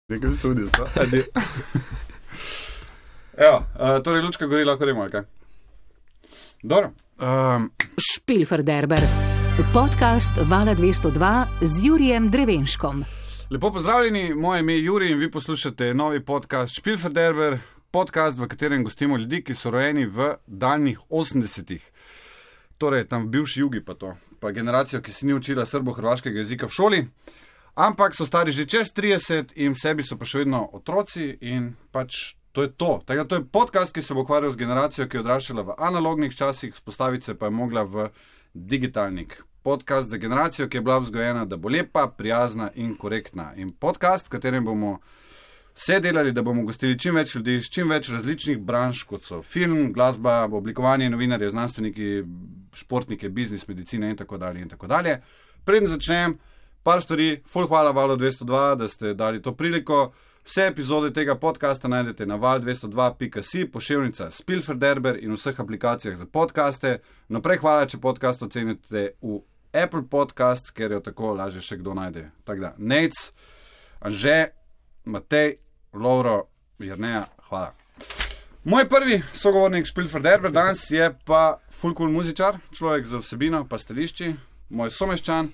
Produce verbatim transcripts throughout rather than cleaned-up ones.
Nekaj studio, so. Evo, uh, torej lučka gori, lahko remo, kaj? Dobro. Um. Špilferderber, podcast Vala dvesto dva z Jurijem Drevenškom. Lepo pozdravljeni, moje ime je Juri in vi poslušate novi podcast Špilferderber, podcast, v katerem gostimo ljudi, ki so rojeni v daljnih osemdesetih. Torej, tam v bivši jugi pa to, pa generacijo, ki si ni učila srbo-hrvaškega jezika v šoli, ampak so stari že čez trideset in v sebi so pa še vedno otroci in pač to je to. Tako, to je podcast, ki se bo ukvarjal z generacijo, ki je odraščala v analognih časih, spostaviti se pa je mogla v digitalnik. Podcast za generacijo, ki je bila vzgojena, da bo lepa, prijazna in korektna. In podcast, v katerem bomo vse delali, da bomo gostili čim več ljudi z čim več različnih branž, kot so film, glasba, oblikovanje, novinarje, znanstveniki, športnike, biznis, medicine in tako dalje in tako dalje. Preden začnem, par stvari, ful hvala Valu dvesto dva, da ste dali to priliko. Vse epizode tega podcasta najdete na val dvesto dva pika si, poševnica Špilferderber in vseh aplikacijah za podcaste. Naprej hvala, če podcast ocenite v Apple Podcasts, ker jo tako lažje še kdo najde. Tako da, Nejc, Anže, Matej, Lovro, Jerneja, hvala. Moj prvi sogovornik Špilferderber danes je pa ful cool muzičar, človek za vsebino, pa stališči, moj someščan.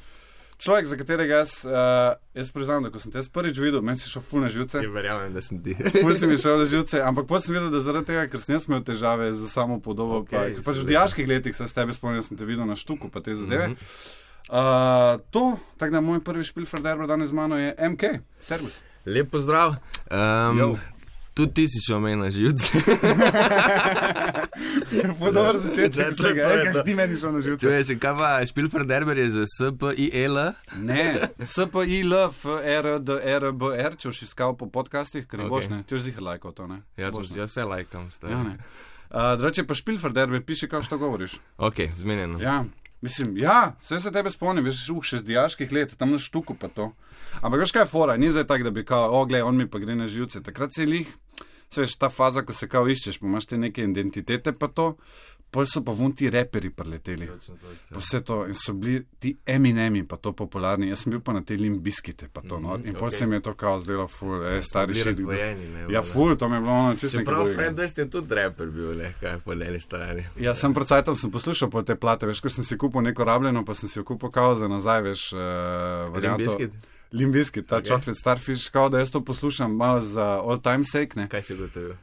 Človek, za katerega jaz, uh, jaz priznam, da ko sem te prvič videl, meni si šel ful na živce. Ja, verjamem, da sem ti. Ful si mi šel na živce, ampak potem sem videl, da zaradi tega, ker sem jaz imel težave z samo podobo, okay, pa, pač v dijaških letih se s tebe spomnil, da sem te videl na štuku, pa te zadeve. Mm-hmm. Uh, to, tako da moj prvi Špilferderber danes z mano je M K. Servus. Lep pozdrav. Um, tudi ti si šel meni na živce. Po dobro začetek vsega, kaj si ti meni šel na živce. Čuješ, kaj pa Špilferderber je za S P I L? Ne, S P I L F R D R B R, če boš iskal po podcastih, ker ne boš, ne? Ti boš ziher lajkal to, ne? Jaz se lajkam. Ja, ne. Uh, Drugače pa Špilferderber, piši, kao što govoriš. Ok, zmenjeno. Ja, mislim, ja, vse se tebe spomnim, veš, uh, še z dijaških let, tam na štuku pa to. Ampak veš kaj je fora, ni zdaj tak, da bi kao, o, glej, on mi pa gre na živce. Takrat se lih, se veš, ta faza, ko se kao iščeš, pa imaš te neke identitete pa to, pol so pa vun ti reperi preleteli. Pa vse to, in so bili ti Eminemi pa to popularni. Jaz sem bil pa na te Limp Bizkite pa to, no, in pol okay. Se mi je to kao zdelo ful, e, stari šit. Ja, ful, to mi je bilo ono čisto nekaj drugega. Čeprav Fred Durst je tudi reper bil, ne, kaj po leli strani. Ja, sem pred cajtom sem poslušal po te plate, veš, ko sem si kupil neko rabljeno, pa sem si jo kupil kao za nazaj, veš, uh, varianto. Limp Bizkit, ta okay. Chocolate Starfish, kao da jaz to poslušam malo za all time sake, ne. Kaj si gotovil?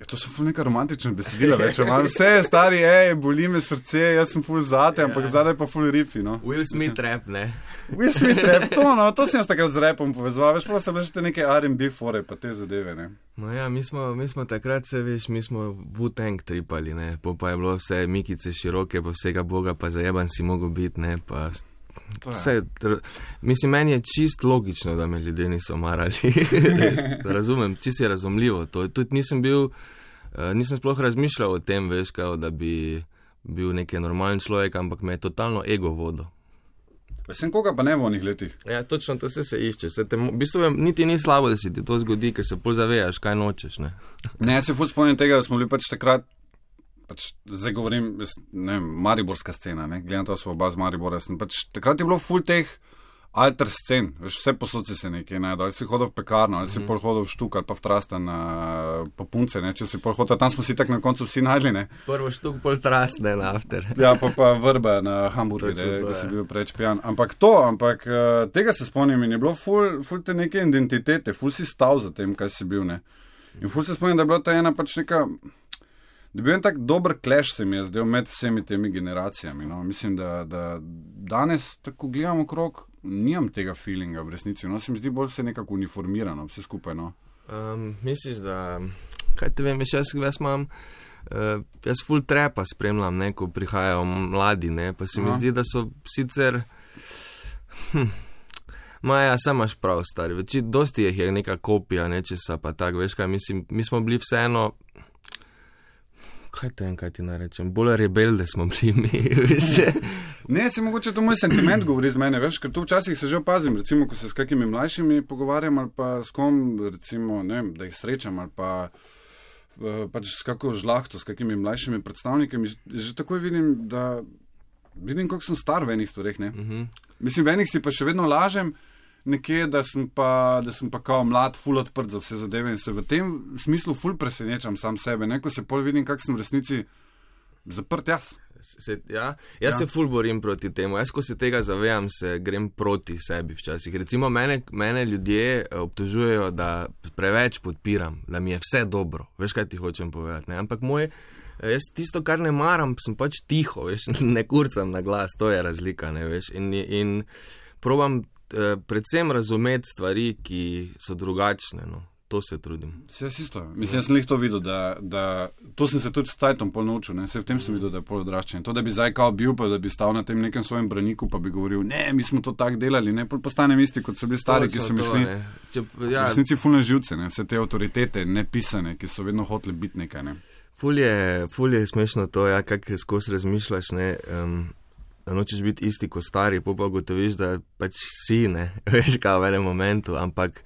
Ja, to so ful neka romantična besedila, več, malo vse je stari, ej, boli me srce, jaz sem ful zate, ja. Ampak zadaj pa ful rifi, no. Will Smith rap, ne? Will Smith rap, to, no, to sem jaz takrat z rapom povezoval, veš, pa so bile še te neke R and B fore, pa te zadeve, ne. No ja, mi smo, mi smo takrat, se veš, mi smo Wu-Tang tripali, ne, po pa je bilo vse mikice široke, pa vsega boga, pa zajeban si mogel biti, ne, pa... Vse, mislim, meni je čist logično, da me ljudje niso marali. Razumem, čist je razumljivo to. Tudi nisem bil, nisem sploh razmišljal o tem, veš, kao, da bi bil neki normalen človek, ampak me je totalno ego vodil. Sem koga pa ne v onih letih? Ja, točno, to se se išče. Se te, v bistvu niti ni slabo, da si ti to zgodi, ker se pol zavejaš, kaj nočeš, ne. Ne, jaz se ful spomnim tega, da smo bili pač takrat, pač zdaj govorim, ne vem, mariborska scena, ne, gledam to smo oba z Maribora, sem pač, takrat je bilo ful teh alter scen, veš, vse posod si se nekaj najdel, ali si hodil v pekarno, ali si mm-hmm. pol hodil v štuk, ali pa v Trastan uh, po punce, ne, če si pol hodil, tam smo si tak na koncu vsi najdli, ne. Prvo štuk, pol Trastan, after. Ja, pa pa vrba na Hamburgu, da si bil preč pijan, ampak to, ampak uh, tega se spomnim in je bilo ful, ful te neke identitete, ful si stav za tem, kaj si bil, ne. In ful se spomnim, da je bila ta ena pač neka... Da bi bil en tak dober clash, se mi je zdel med vsemi temi generacijami. No. Mislim, da, da danes, tako gledam okrog, nimam tega feelinga v resnici. No. Se mi zdi bolj vse nekako uniformirano, vse skupaj. No. Um, misliš, da, kaj te vem, veš, jaz, jaz imam, uh, jaz full trapa spremljam, ne, ko prihajajo mladi, ne, pa se mi Aha. Zdi, da so sicer, hm, maja, sam imaš prav, stari, več, dosti jih je neka kopija, nečesa, pa tak, veš kaj, mislim, mi smo bili vseeno, kaj te en, kaj ti narečem, bolj rebelde smo bili mi, veš. Ne, se mogoče to moj sentiment govori z mene, veš, ker tu včasih se že opazim, recimo, ko se s kakimi mlajšimi pogovarjam ali pa s kom, recimo, ne, da jih srečam ali pa pač s kako žlahto, s kakimi mlajšimi predstavnikami, že, že takoj vidim, da vidim, koliko sem star v enih stvareh, ne. Uh-huh. Mislim, v enih si pa še vedno lažem, nekje, da sem pa, da sem pa kao mlad, ful odprt za vse zadeve in se v tem smislu ful presenečam sam sebe, ne, ko se pol vidim, kak sem v resnici zaprt jaz. Se, ja, jaz ja. se ful borim proti temu, jaz ko se tega zavejam, se grem proti sebi včasih. Recimo mene, mene ljudje obtožujejo, da preveč podpiram, da mi je vse dobro, veš, kaj ti hočem povedati, ne, ampak moj, jaz tisto, kar ne maram, sem pač tiho, veš, ne kurcam na glas, to je razlika, ne, veš, in, in probam predvsem razumeti stvari, ki so drugačne, no. To se trudim. Se jaz isto. Mislim, jaz sem lih to videl, da, da to sem se tudi s cajtom pol naučil, ne. Se v tem sem videl, da je pol odraščen. To, da bi zdaj kao bil, pa da bi stal na tem nekem svojem braniku, pa bi govoril, ne, mi smo to tak delali, ne, pol postanem isti, kot so bili stari, to ki so mi šli. Če, ja. V resnici ful na živce, ne, vse te avtoritete, nepisane, ki so vedno hoteli biti nekaj, ne. Ful je, ful je smešno to, ja, kak skozi razmišljaš, ne, um, da nočeš biti isti kot stari, pol pa gotoviš, da pač si, ne, veš, kao v enem momentu, ampak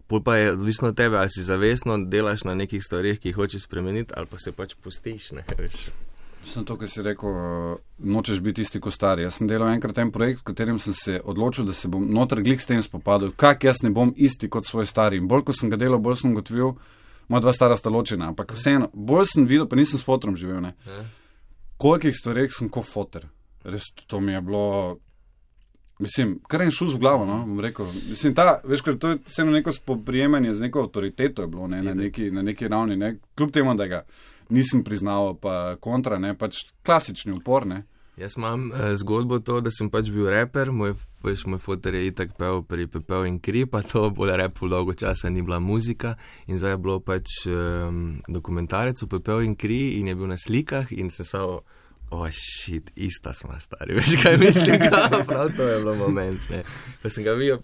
pol pa je odvisno od tebe, ali si zavestno delaš na nekih stvarih, ki jih hočeš spremeniti, ali pa se pač pustiš, ne, veš. Sem to, kar si rekel, nočeš biti isti kot stari. Jaz sem delal enkrat en projekt, v katerem sem se odločil, da se bom noter glik s tem spopadal, kak jaz ne bom isti kot svoj stari. In bolj, ko sem ga delal, bolj sem gotovil, moja dva stara sta ločena, ampak vseeno, bolj sem videl, pa nisem s fotorom živel, ne, kolikih stvarih sem kot foter. Res, to mi je bilo, mislim, kar en šuz v glavo, no, bom rekel. Mislim, ta, veš, ker to je vseeno neko spoprijemanje z neko avtoriteto je bilo, ne, na neki, na neki ravni, ne, kljub temu, da ga nisem priznaval, pa kontra, ne, pač klasični upor, ne. Jaz imam eh, zgodbo to, da sem pač bil reper, moj, veš, moj foter je itak pel pri Pepel in kri, pa to bolj rap ful dolgo časa ni bila muzika in zdaj je bilo pač um, dokumentarec v Pepel in kri in je bil na slikah in se so o, oh, shit, ista smo stari, veš, kaj mislim, ga, prav to je bilo moment, ne. Pa sem ga videl,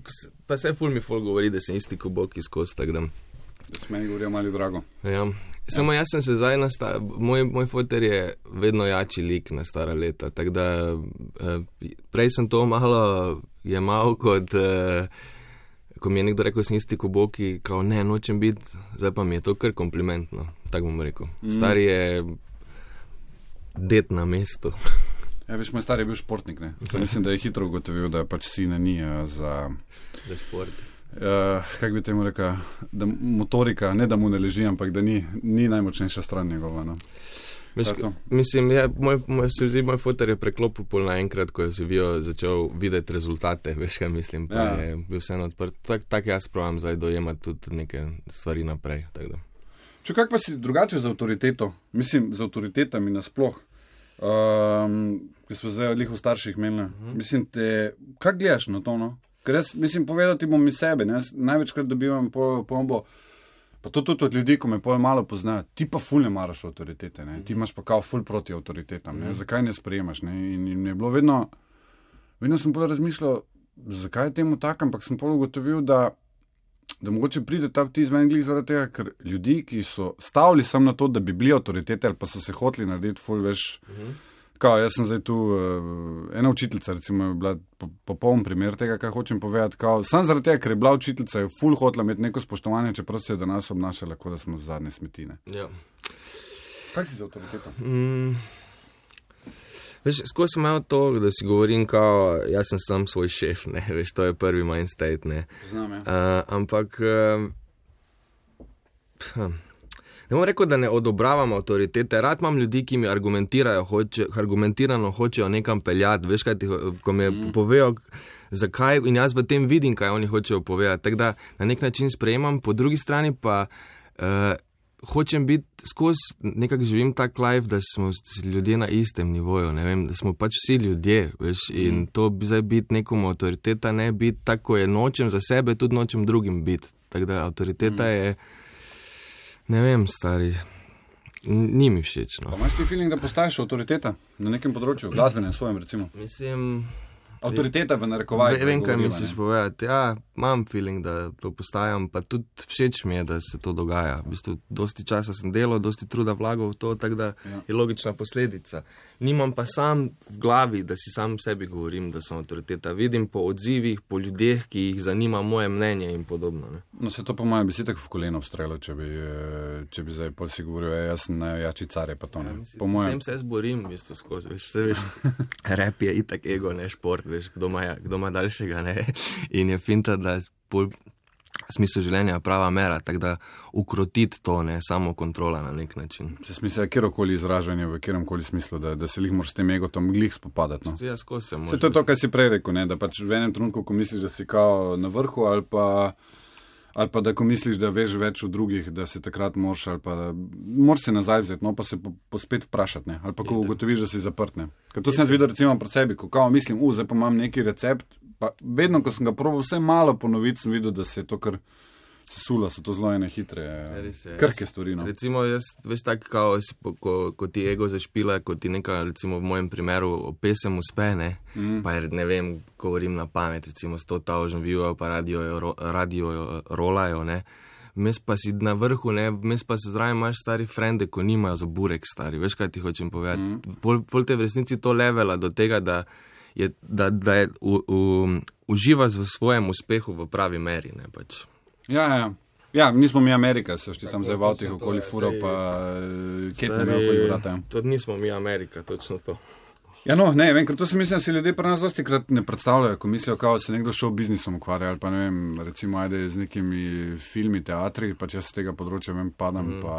pa se ful mi ful govori, da sem isti kuboki skozi, tak da. Da se meni govorijo mali drago. Ja, samo jaz sem se zdaj, nasta, moj, moj foter je vedno jači lik na stara leta, tak da eh, prej sem to malo jemal kot, eh, ko mi je nekdo rekel, sem isti kuboki, kao ne, nočem biti, zdaj pa mi je to kar komplimentno, tak bom rekel. Mm. Stari je det na mestu. Ja, veš, moj star je bil športnik, ne. To mislim, da je hitro ugotovil, da pač sine ni uh, za... Za šport. Uh, kak bi temu rekel, da motorika, ne da mu ne leži, ampak da ni, ni najmočnejša stran njegova, no. Miš, mislim, ja, moj, moj, se zdi, moj foter je preklopil pol naenkrat, ko je se vijo začel videti rezultate, veš, kaj mislim, pa ja. Je bil vseeno odprt. Tak, tak jaz provam zdaj dojemati tudi neke stvari naprej, tako da. Če kak pa si drugače z avtoriteto, mislim, z avtoritetami nasploh, um, ki smo zdaj odlih v starših imeli, uh-huh. Mislim, te, kak gledaš na to, no? Ker jaz, mislim, povedati bom mi sebe, ne? Največkrat dobivam pombo, pa to tudi od ljudi, ko me pol malo poznajo, ti pa ful ne maraš avtoritete, ne? Ti imaš pa kao ful proti avtoritetam, ne? Zakaj ne sprejemaš, ne? In, in je bilo vedno, vedno sem pol razmišljal, zakaj je temu tak, ampak sem pol ugotovil, da da mogoče pride ta vtis meni glih zaradi tega, ker ljudi, ki so stavili sam na to, da bi bili avtoritete ali pa so se hoteli narediti ful, veš, uh-huh. Kao, jaz sem zdaj tu, uh, ena učiteljica, recimo, je bila popoln primer tega, kaj hočem povedati, kao, sam zaradi tega, ker je bila učiteljica, je ful hotela imeti neko spoštovanje, čeprav se je do nas obnašala, kot da smo zadnje smetine. Ja. Kaj si za avtoriteto? Mm. Veš, skozi sem imel to, da si govorim, kao, jaz sem sam svoj šef, ne, veš, to je prvi mind state, ne. Znam, ja. Uh, ampak, uh, ne bom rekel, da ne odobravam avtoritete, rad imam ljudi, ki mi argumentirajo, hoče, argumentirano hočejo nekam peljati, veš, kaj ti, ko mi mm. povejo, zakaj, in jaz v tem vidim, kaj oni hočejo povedati, tako da na nek način sprejemam, po drugi strani pa, uh, hočem biti, skozi nekako živim tak life, da smo ljudje na istem nivoju, ne vem, da smo pač vsi ljudje, veš, in mm. to bi zdaj biti nekomu avtoriteta, ne biti tako, je nočem za sebe, tudi nočem drugim biti, tako da avtoriteta mm. je, ne vem, stari, ni mi všeč, no. Pa imaš ti feeling, da postaješ avtoriteta na nekem področju, glasbenem svojem, recimo? Mislim... Avtoriteta v narekovaju. Vem, kaj misliš povedati. Ja, imam feeling, da to postajam, pa tudi všeč mi je, da se to dogaja. V bistvu, dosti časa sem delal, dosti truda vlagal v to, tako da ja. Je logična posledica. Nimam pa sam v glavi, da si sam sebi govorim, da sem avtoriteta. Vidim po odzivih, po ljudeh, ki jih zanima moje mnenje in podobno. Ne? No, se to po mojem bi si tako v koleno vstrelo, če bi, če bi zdaj pol si govoril, jaz sem najjači car, pa to ne. Ja, mislim, po mojem... S tem se jaz borim, v bistvu, skozi. Veš, vse veš, rap je itak ego, ne šport. veš, kdo ima, kdo ima daljšega, ne. In je finta, da bolj smisel življenja prava mera, tako da ukrotiti to, ne, samo kontrola na nek način. Se smisel je kjerokoli izražanje, v kjeromkoli smislu, da, da se lih moraš s tem egotom glih spopadati. No? Ja, skozi se moraš. To je to, kar si prej rekel, ne, da pač v enem trenutku, ko misliš, da si kao na vrhu, ali pa, ali pa da ko misliš, da veš več od drugih, da se takrat moraš, ali pa moraš se nazaj vzeti, no, pa se po, po spet vprašati, ne, ali pa ko ugotoviš, da si zaprt, ne. Ker to sem videl recimo pred sebi, ko kao mislim, u, zdaj pa imam neki recept, pa vedno, ko sem ga probal vse malo ponoviti, sem videl, da se je to kar sesula, so to zelo ene hitre, krhke stvari. No. Recimo, jaz, veš tako, kao, ko, ko ti ego zašpila, ko ti neka, recimo v mojem primeru, pesem uspe, ne, mm. pa ne vem, govorim na pamet, recimo sto tisoč view-ov, pa radio, radio rolajo, ne, mes pa si na vrhu, ne, mes pa se zraven imaš stari frende, ko nimajo za burek stari, veš, kaj ti hočem povedati. Mm. Pol, pol te v resnici to levela do tega, da je, da, da je u, u, uživaš v svojem uspehu v pravi meri, ne, pač. Ja, ja. Ja, nismo mi Amerika, se šti tam zdaj v avtih okoli furo, pa kje pa me okoli vrata. To nismo mi Amerika, točno to. Ja, no, ne, vem, ker to se mislim, da si ljudje pri nas dosti krat ne predstavljajo, ko mislijo, kao se nekdo šel biznisom ukvarja, ali pa ne vem, recimo ajde z nekimi filmi, teatri, pa če se tega področja vem, padam, mm. pa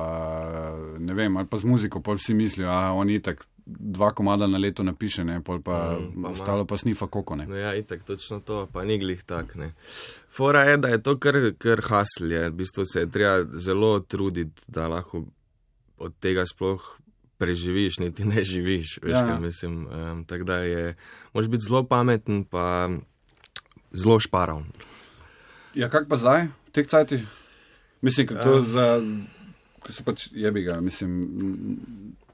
ne vem, ali pa z muziko, pol vsi mislijo, a oni itak dva komada na leto napiše, ne, pol pa mm, ostalo pa snifa koko, ne. No ja, itak, točno to, pa ni glih tak, ne. Fora je, da je to kar, kar hasl je, v bistvu se je treba zelo truditi, da lahko od tega sploh preživiš, niti ne živiš, veš, ja. Kaj mislim, um, tako da je, moraš biti zelo pameten, pa zelo šparavn. Ja, kak pa zdaj, v teh cajtih? Mislim, ker to um, za, ko so pač jebiga, mislim,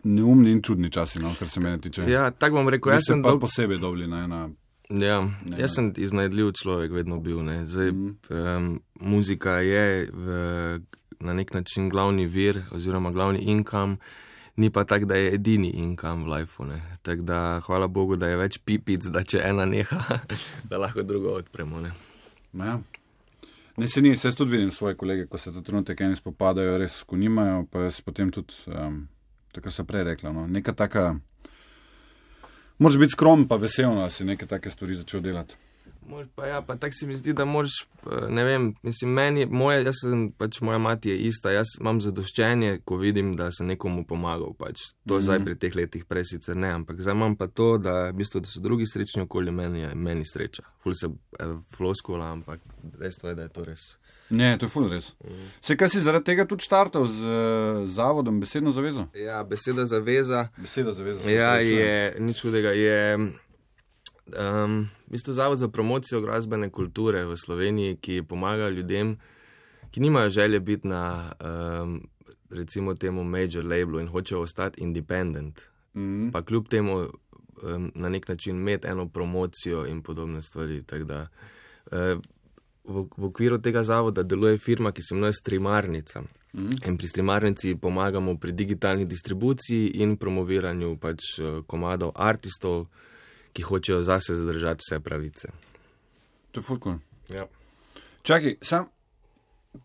neumni in čudni časi, no, kar se mene tiče. Ja, tako bom rekel, jaz sem pa dolg... posebej dobli na ena... Ja, ne, jaz sem iznajdljiv človek vedno bil, ne, zdaj mm. um, muzika je v, na nek način glavni vir, oziroma glavni income, ni pa tak, da je edini income v lifeu, ne. Tako da, hvala Bogu, da je več pipic, da če ena neha, da lahko drugo odpremo, ne. Ja. Ne, se ni, se tudi vidim svoje kolege, ko se ta trenutek eni spopadajo, res ko nimajo, pa jaz potem tudi, um, tako so prej rekla, no, neka taka, moraš biti skromen pa veselno, da si neke take stvari začel delati. Mož, pa ja, pa tak si mi zdi, da moraš, ne vem, mislim, meni, moje, jaz sem, pač moja mati je ista, jaz imam zadoščenje, ko vidim, da sem nekomu pomagal, pač, to mm-hmm. zdaj pri teh letih prej sicer ne, ampak zdaj imam pa to, da, v bistvu, da so drugi srečni okoli meni, je meni sreča. Ful se eh, floskula, ampak dejstvo je, da je to res. Ne, to je ful res. Mm. Se kaj si zaradi tega tudi štartal z uh, zavodom Besedno zavezo? Ja, Beseda zaveza. Beseda zaveza. Ja, je, nič hudega, je... Um, v bistvu zavod za promocijo glasbene kulture v Sloveniji, ki pomaga ljudem, ki nimajo želje biti na um, recimo temu major labelu in hočejo ostati independent, mm. pa kljub temu um, na nek način imeti eno promocijo in podobne stvari. Tak da, uh, v, v okviru tega zavoda deluje firma, ki se imenuje Streamarnica. Mm. In pri Streamarnici pomagamo pri digitalni distribuciji in promoviranju pač komadov artistov, ki hočejo zase zadržati vse pravice. To je ful cool. Ja. Čakaj, sam,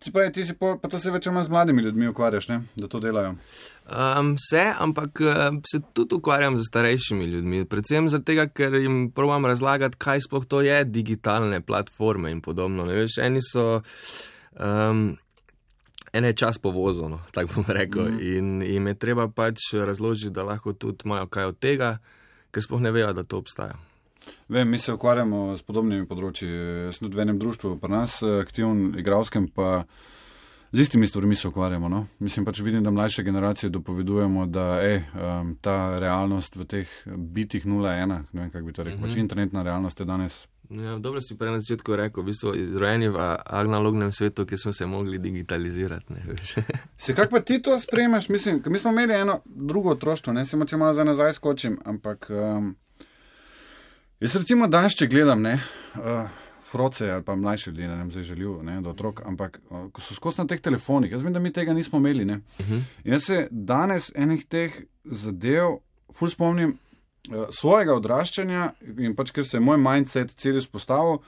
ti pravi, ti si pa, pa to se več z mladimi ljudmi ukvarjaš, ne? Da to delajo? Um, se, ampak uh, se tudi ukvarjam z starejšimi ljudmi, predvsem zato tega, ker jim probam razlagati, kaj sploh to je digitalne platforme in podobno. Ne veš, eni so... Um, ene čas povozno, tako bom rekel, mm. in jim je treba pač razložiti, da lahko tudi imajo kaj od tega, ker sploh ne vejo, da to obstaja. Vem, mi se ukvarjamo s podobnimi področji. Sem tudi v enem društvu pri nas, aktivn, igralskem, pa z istimi stvarmi se ukvarjamo. No? Mislim pač vidim, da mlajše generacije dopovedujemo, da ej, um, ta realnost v teh bitih nula ena, ne vem, kako bi to rekel, mm-hmm. pač internetna realnost je danes. Ja, dobro si prej na začetku rekel, v bistvu izrojeni v analognem svetu, ki smo se mogli digitalizirati. Ne, se kako pa ti to sprejemaš? Mislim, mi smo imeli eno drugo otroštvo, ne, se moče malo za nazaj skočim, ampak um, jaz recimo danes, če gledam, ne, uh, froce ali pa mlajše ljudi, ne vem, zdaj želil, ne, do otrok, ampak uh, ko so skozi na teh telefonih, jaz vem, da mi tega nismo imeli, ne. Uh-huh. Jaz se danes enih teh zadev ful spomnim, svojega odraščanja in pač, ker se je moj mindset cel izpostavil,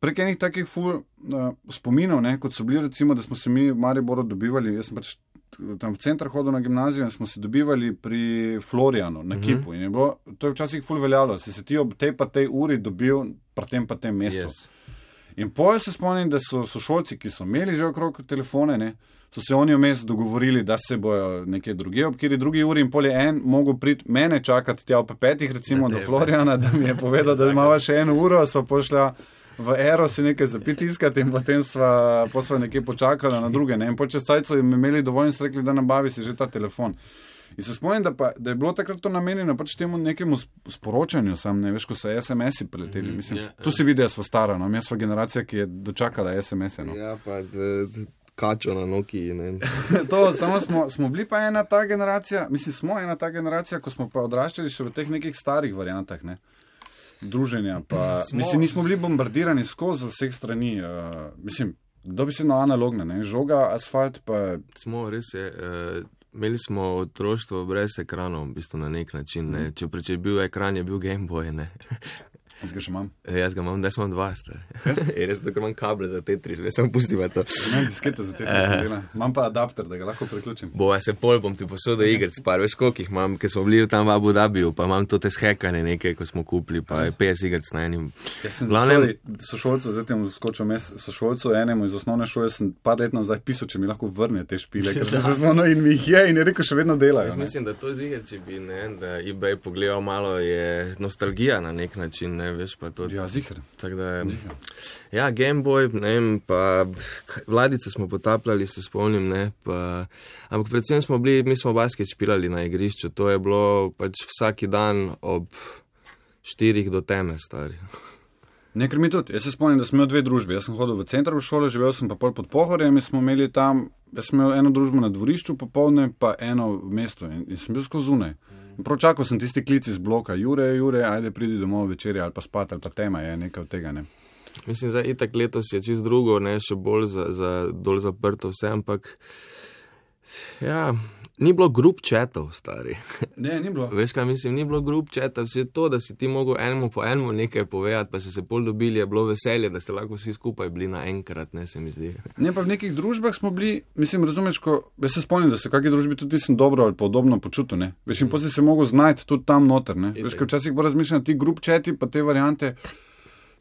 prek enih takih ful uh, spominov, ne, kot so bili recimo, da smo se mi v Mariboru dobivali, jaz sem pač tam v centru hodil na gimnazijo in smo se dobivali pri Florijanu na Kipu. In je bilo, to je včasih ful veljalo, si se ti ob tej pa tej uri dobil pri tem pa tem mestu. Yes. In potem se spomnim, da so sošolci, ki so imeli že okrog telefone, ne, so se oni vmes dogovorili, da se bojo nekje druge, ob kjeri drugi uri in pol je en mogel priti mene čakati tja ob petih, recimo do Florijana, da mi je povedal, da imava še eno uro, sva pošla v Ero si nekaj zapiti iskati in potem sva, po sva nekje počakala na druge. Ne? In po čez cajt so jim imeli dovolj in so rekli, da nabavi si že ta telefon. In se spomnim, da, pa, da je bilo takrat to namenjeno pač temu nekemu sporočanju, sam ne veš, ko so es em esi preleteli. Mislim, mm, yeah, tu si vidi, da sva stara, no? Mi sva generacija, ki je dočakala es em ese. No? Ja, pa d, d, kačo na Nokiji. To, samo smo, smo bili pa ena ta generacija, mislim, smo ena ta generacija, ko smo pa odraščali še v teh nekih starih variantah, ne? Druženja. Pa, mislim, nismo bili bombardirani skozi vseh strani. Uh, mislim, dobi se na analogne, ne? Žoga, asfalt pa... Smo, res je... Uh... Imeli smo otroštvo brez ekranov, v bistvu na nek način. Ne. Če, če je bil ekran, je bil Game Boy. Ne. Jaz ga še imam. E, jaz ga imam, da sem dva star. Je res, da imam kable za Tetris, jaz sem pustiva to. Imam diskete za Tetris, uh, imam pa adapter, da ga lahko priključim. Bo, jaz se pol bom ti posodil igric, par veš koliko jih imam, ker smo bili tam v Abu Dhabiju, pa imam to te shekane nekaj, ko smo kupili, pa je petdeset igric na enim. Jaz sem, Glavnem... sorry, sošolcu, zdaj tem skočil mes, sošolcu enemu iz osnovne šole, sem par let nazaj pisal, če mi lahko vrne te špile, ker sem se zvono in mi jih je in je rekel, še vedno delajo. Jaz mislim, da to z igrici bi, ne, da eBay pogledal malo, je nostalgija na nek način, ne, veš, pa to. Ja, ziher. Tak da, ja, Game Boy, ne vem, pa Vladice smo potapljali, se spomnim, ne, pa, ampak predvsem smo bili, mi smo basket špilali na igrišču, to je bilo pač vsaki dan ob štirih do teme, stari. Nekaj mi tudi, jaz se spomnim, da smo imeli dve družbi, jaz sem hodil v center v šolo, živel sem pa pol pod Pohorjem in smo imeli tam, jaz sem imel eno družbo na dvorišču popoldne, pa eno v mestu in, in sem bil skozi zunaj. Prav čakal sem tisti klic iz bloka, Jure, Jure, ajde pridi domov večerja ali pa spat ali pa tema je nekaj od tega, ne. Mislim, zdaj itak letos je čist drugo, ne, še bolj za, za dol zaprto vse, ampak ja, ni bilo group chatov, stari. Ne, ni bilo. Veš kaj mislim, ni bilo group chatov, vse to, da si ti mogel enemu po enemu nekaj povedati, pa si se pol dobili, je bilo veselje, da ste lahko vsi skupaj bili naenkrat, ne, se mi zdi. Ne, pa v nekih družbah smo bili, mislim, razumeš, ko, jaz se spomnim, da se v kakšni družbi tudi nisem dobro ali podobno počutil, ne. Veš, in mm. potem si se mogel znajti tudi tam noter, ne. Veš, ko včasih bo razmišljati, ti group chati pa te variante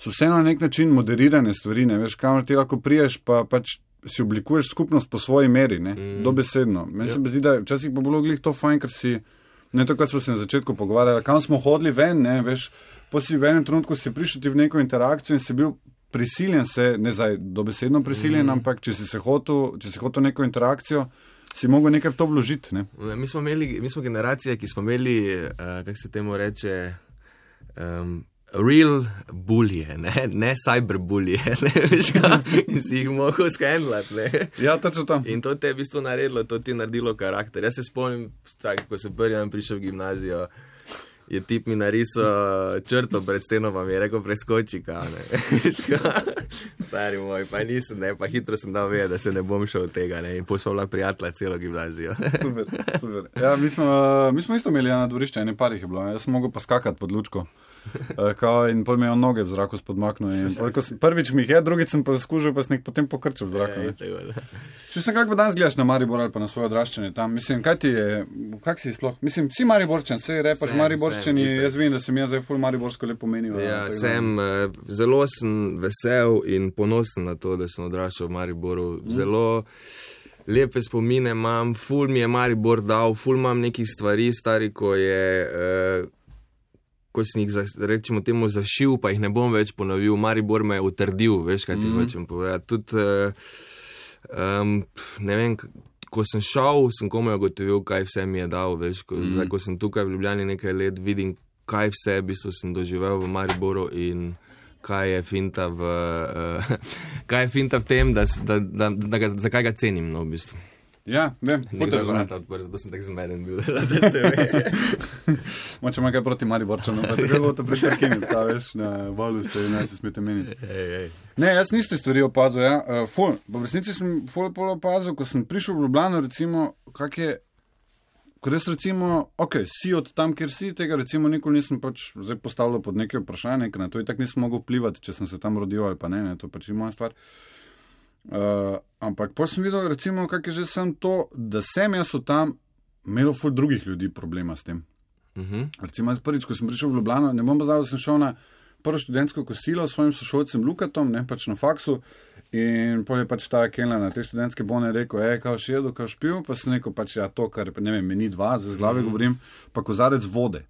so vseeno na nek način moderirane stvari, ne. Veš, kamor ti lahko priješ, pa pač si oblikuješ skupnost po svoji meri, ne, mm. dobesedno. Meni yep. se zdi, da včasih pa bilo glih to fajn, ker si, ne to, kar smo se na začetku pogovarjali, kam smo hodili ven, ne, veš, po si v enem trenutku si prišel ti v neko interakcijo in si bil prisiljen se, ne zdaj dobesedno prisiljen, mm. ampak če si se hotel, če si hotel neko interakcijo, si mogel nekaj v to vložiti, ne. Mi smo imeli, mi smo generacija, ki smo imeli, uh, kako se temu reče, um, real bulje, ne, ne cyberbulje, ne, veš kaj, in si jih mogel skendlati, ne. Ja, točno tam. In to te je v bistvu naredilo, to ti je naredilo karakter. Jaz se spomnim, tak, ko sem prvi dan prišel v gimnazijo, je tip mi narisal črto pred steno, pa mi je rekel preskoči, kao, ne, veš kaj, stari moj, pa nisem, ne, pa hitro sem dal vedeti, da se ne bom šel od tega, ne, in potem smo bila prijatelja celo gimnazijo. Super, super. Ja, mi smo, mi smo isto imeli na dvorišče, ene par jih je bilo, jaz sem mogel pa skakati pod lučko. Kao, in pol me je on noge v zraku spodmaknil. Prvič mi jih je, drugič sem pa skužil, pa sem jih potem pokrčil v zraku. Če sem kako danes gledaš na Maribor ali pa na svoje odraščanje tam, mislim, kaj ti je, kak si sploh? Mislim, si Mariborčan, sej repaš Mariborčani, jaz vem, da sem jaz zdaj ful Mariborsko lepo menil. Ja, sem, zelo sem vesel in ponosen na to, da sem odraščal v Mariboru. Zelo lepe spomine imam, ful mi je Maribor dal, ful imam nekih stvari, stari, ko je... Uh, ko sem jih, rečemo temu, zašil, pa jih ne bom več ponovil. Maribor me je utrdil, veš, kaj ti mm. hočem povedati. Tudi, um, ne vem, ko sem šel, sem komaj ugotovil, kaj vse mi je dal, veš. Ko, mm. zdaj, ko sem tukaj v Ljubljani nekaj let, vidim, kaj vse v bistvu sem doživel v Mariboru in kaj je finta v, uh, kaj je finta v tem, da, da, da, da ga, zakaj ga cenim, no, v bistvu. Ja, vem. Nekaj vrata odprl, zato sem tak zmeden bil, da se ve. Moče ima kaj proti Mariborčanu, pa tako bo to prišparkini, ta veš, na valu ste, ne se smete meniti. Ej, ej. Ne, jaz niste stvari opazil, ja. Uh, ful, v resnici sem ful pol opazil, ko sem prišel v Ljubljano, recimo, kak je, ko res recimo, ok, si od tam, kjer si, tega recimo nikoli nisem pač zdaj postavljal pod neke vprašanje, ker na to i tak nisem mogel vplivati, če sem se tam rodil ali pa ne, ne, to pač je moja stvar. Uh, ampak pa sem videl, recimo, kak je že sem to, da sem jaz v tam imel ful drugih ljudi problema s tem. Uh-huh. Recimo, prvič, ko sem prišel v Ljubljano, ne bom pa zdaj, da sem šel na prvo študentsko kosilo s svojim sošolcem Lukatom, ne, pač na faksu, in pol je pač ta Kelna na te študentske bone rekel, ej, kao še jedo, kao špil, pa sem rekel, pač ja, to, kar, ne vem, meni dva, za z glave mm. govorim, pa kozarec vode.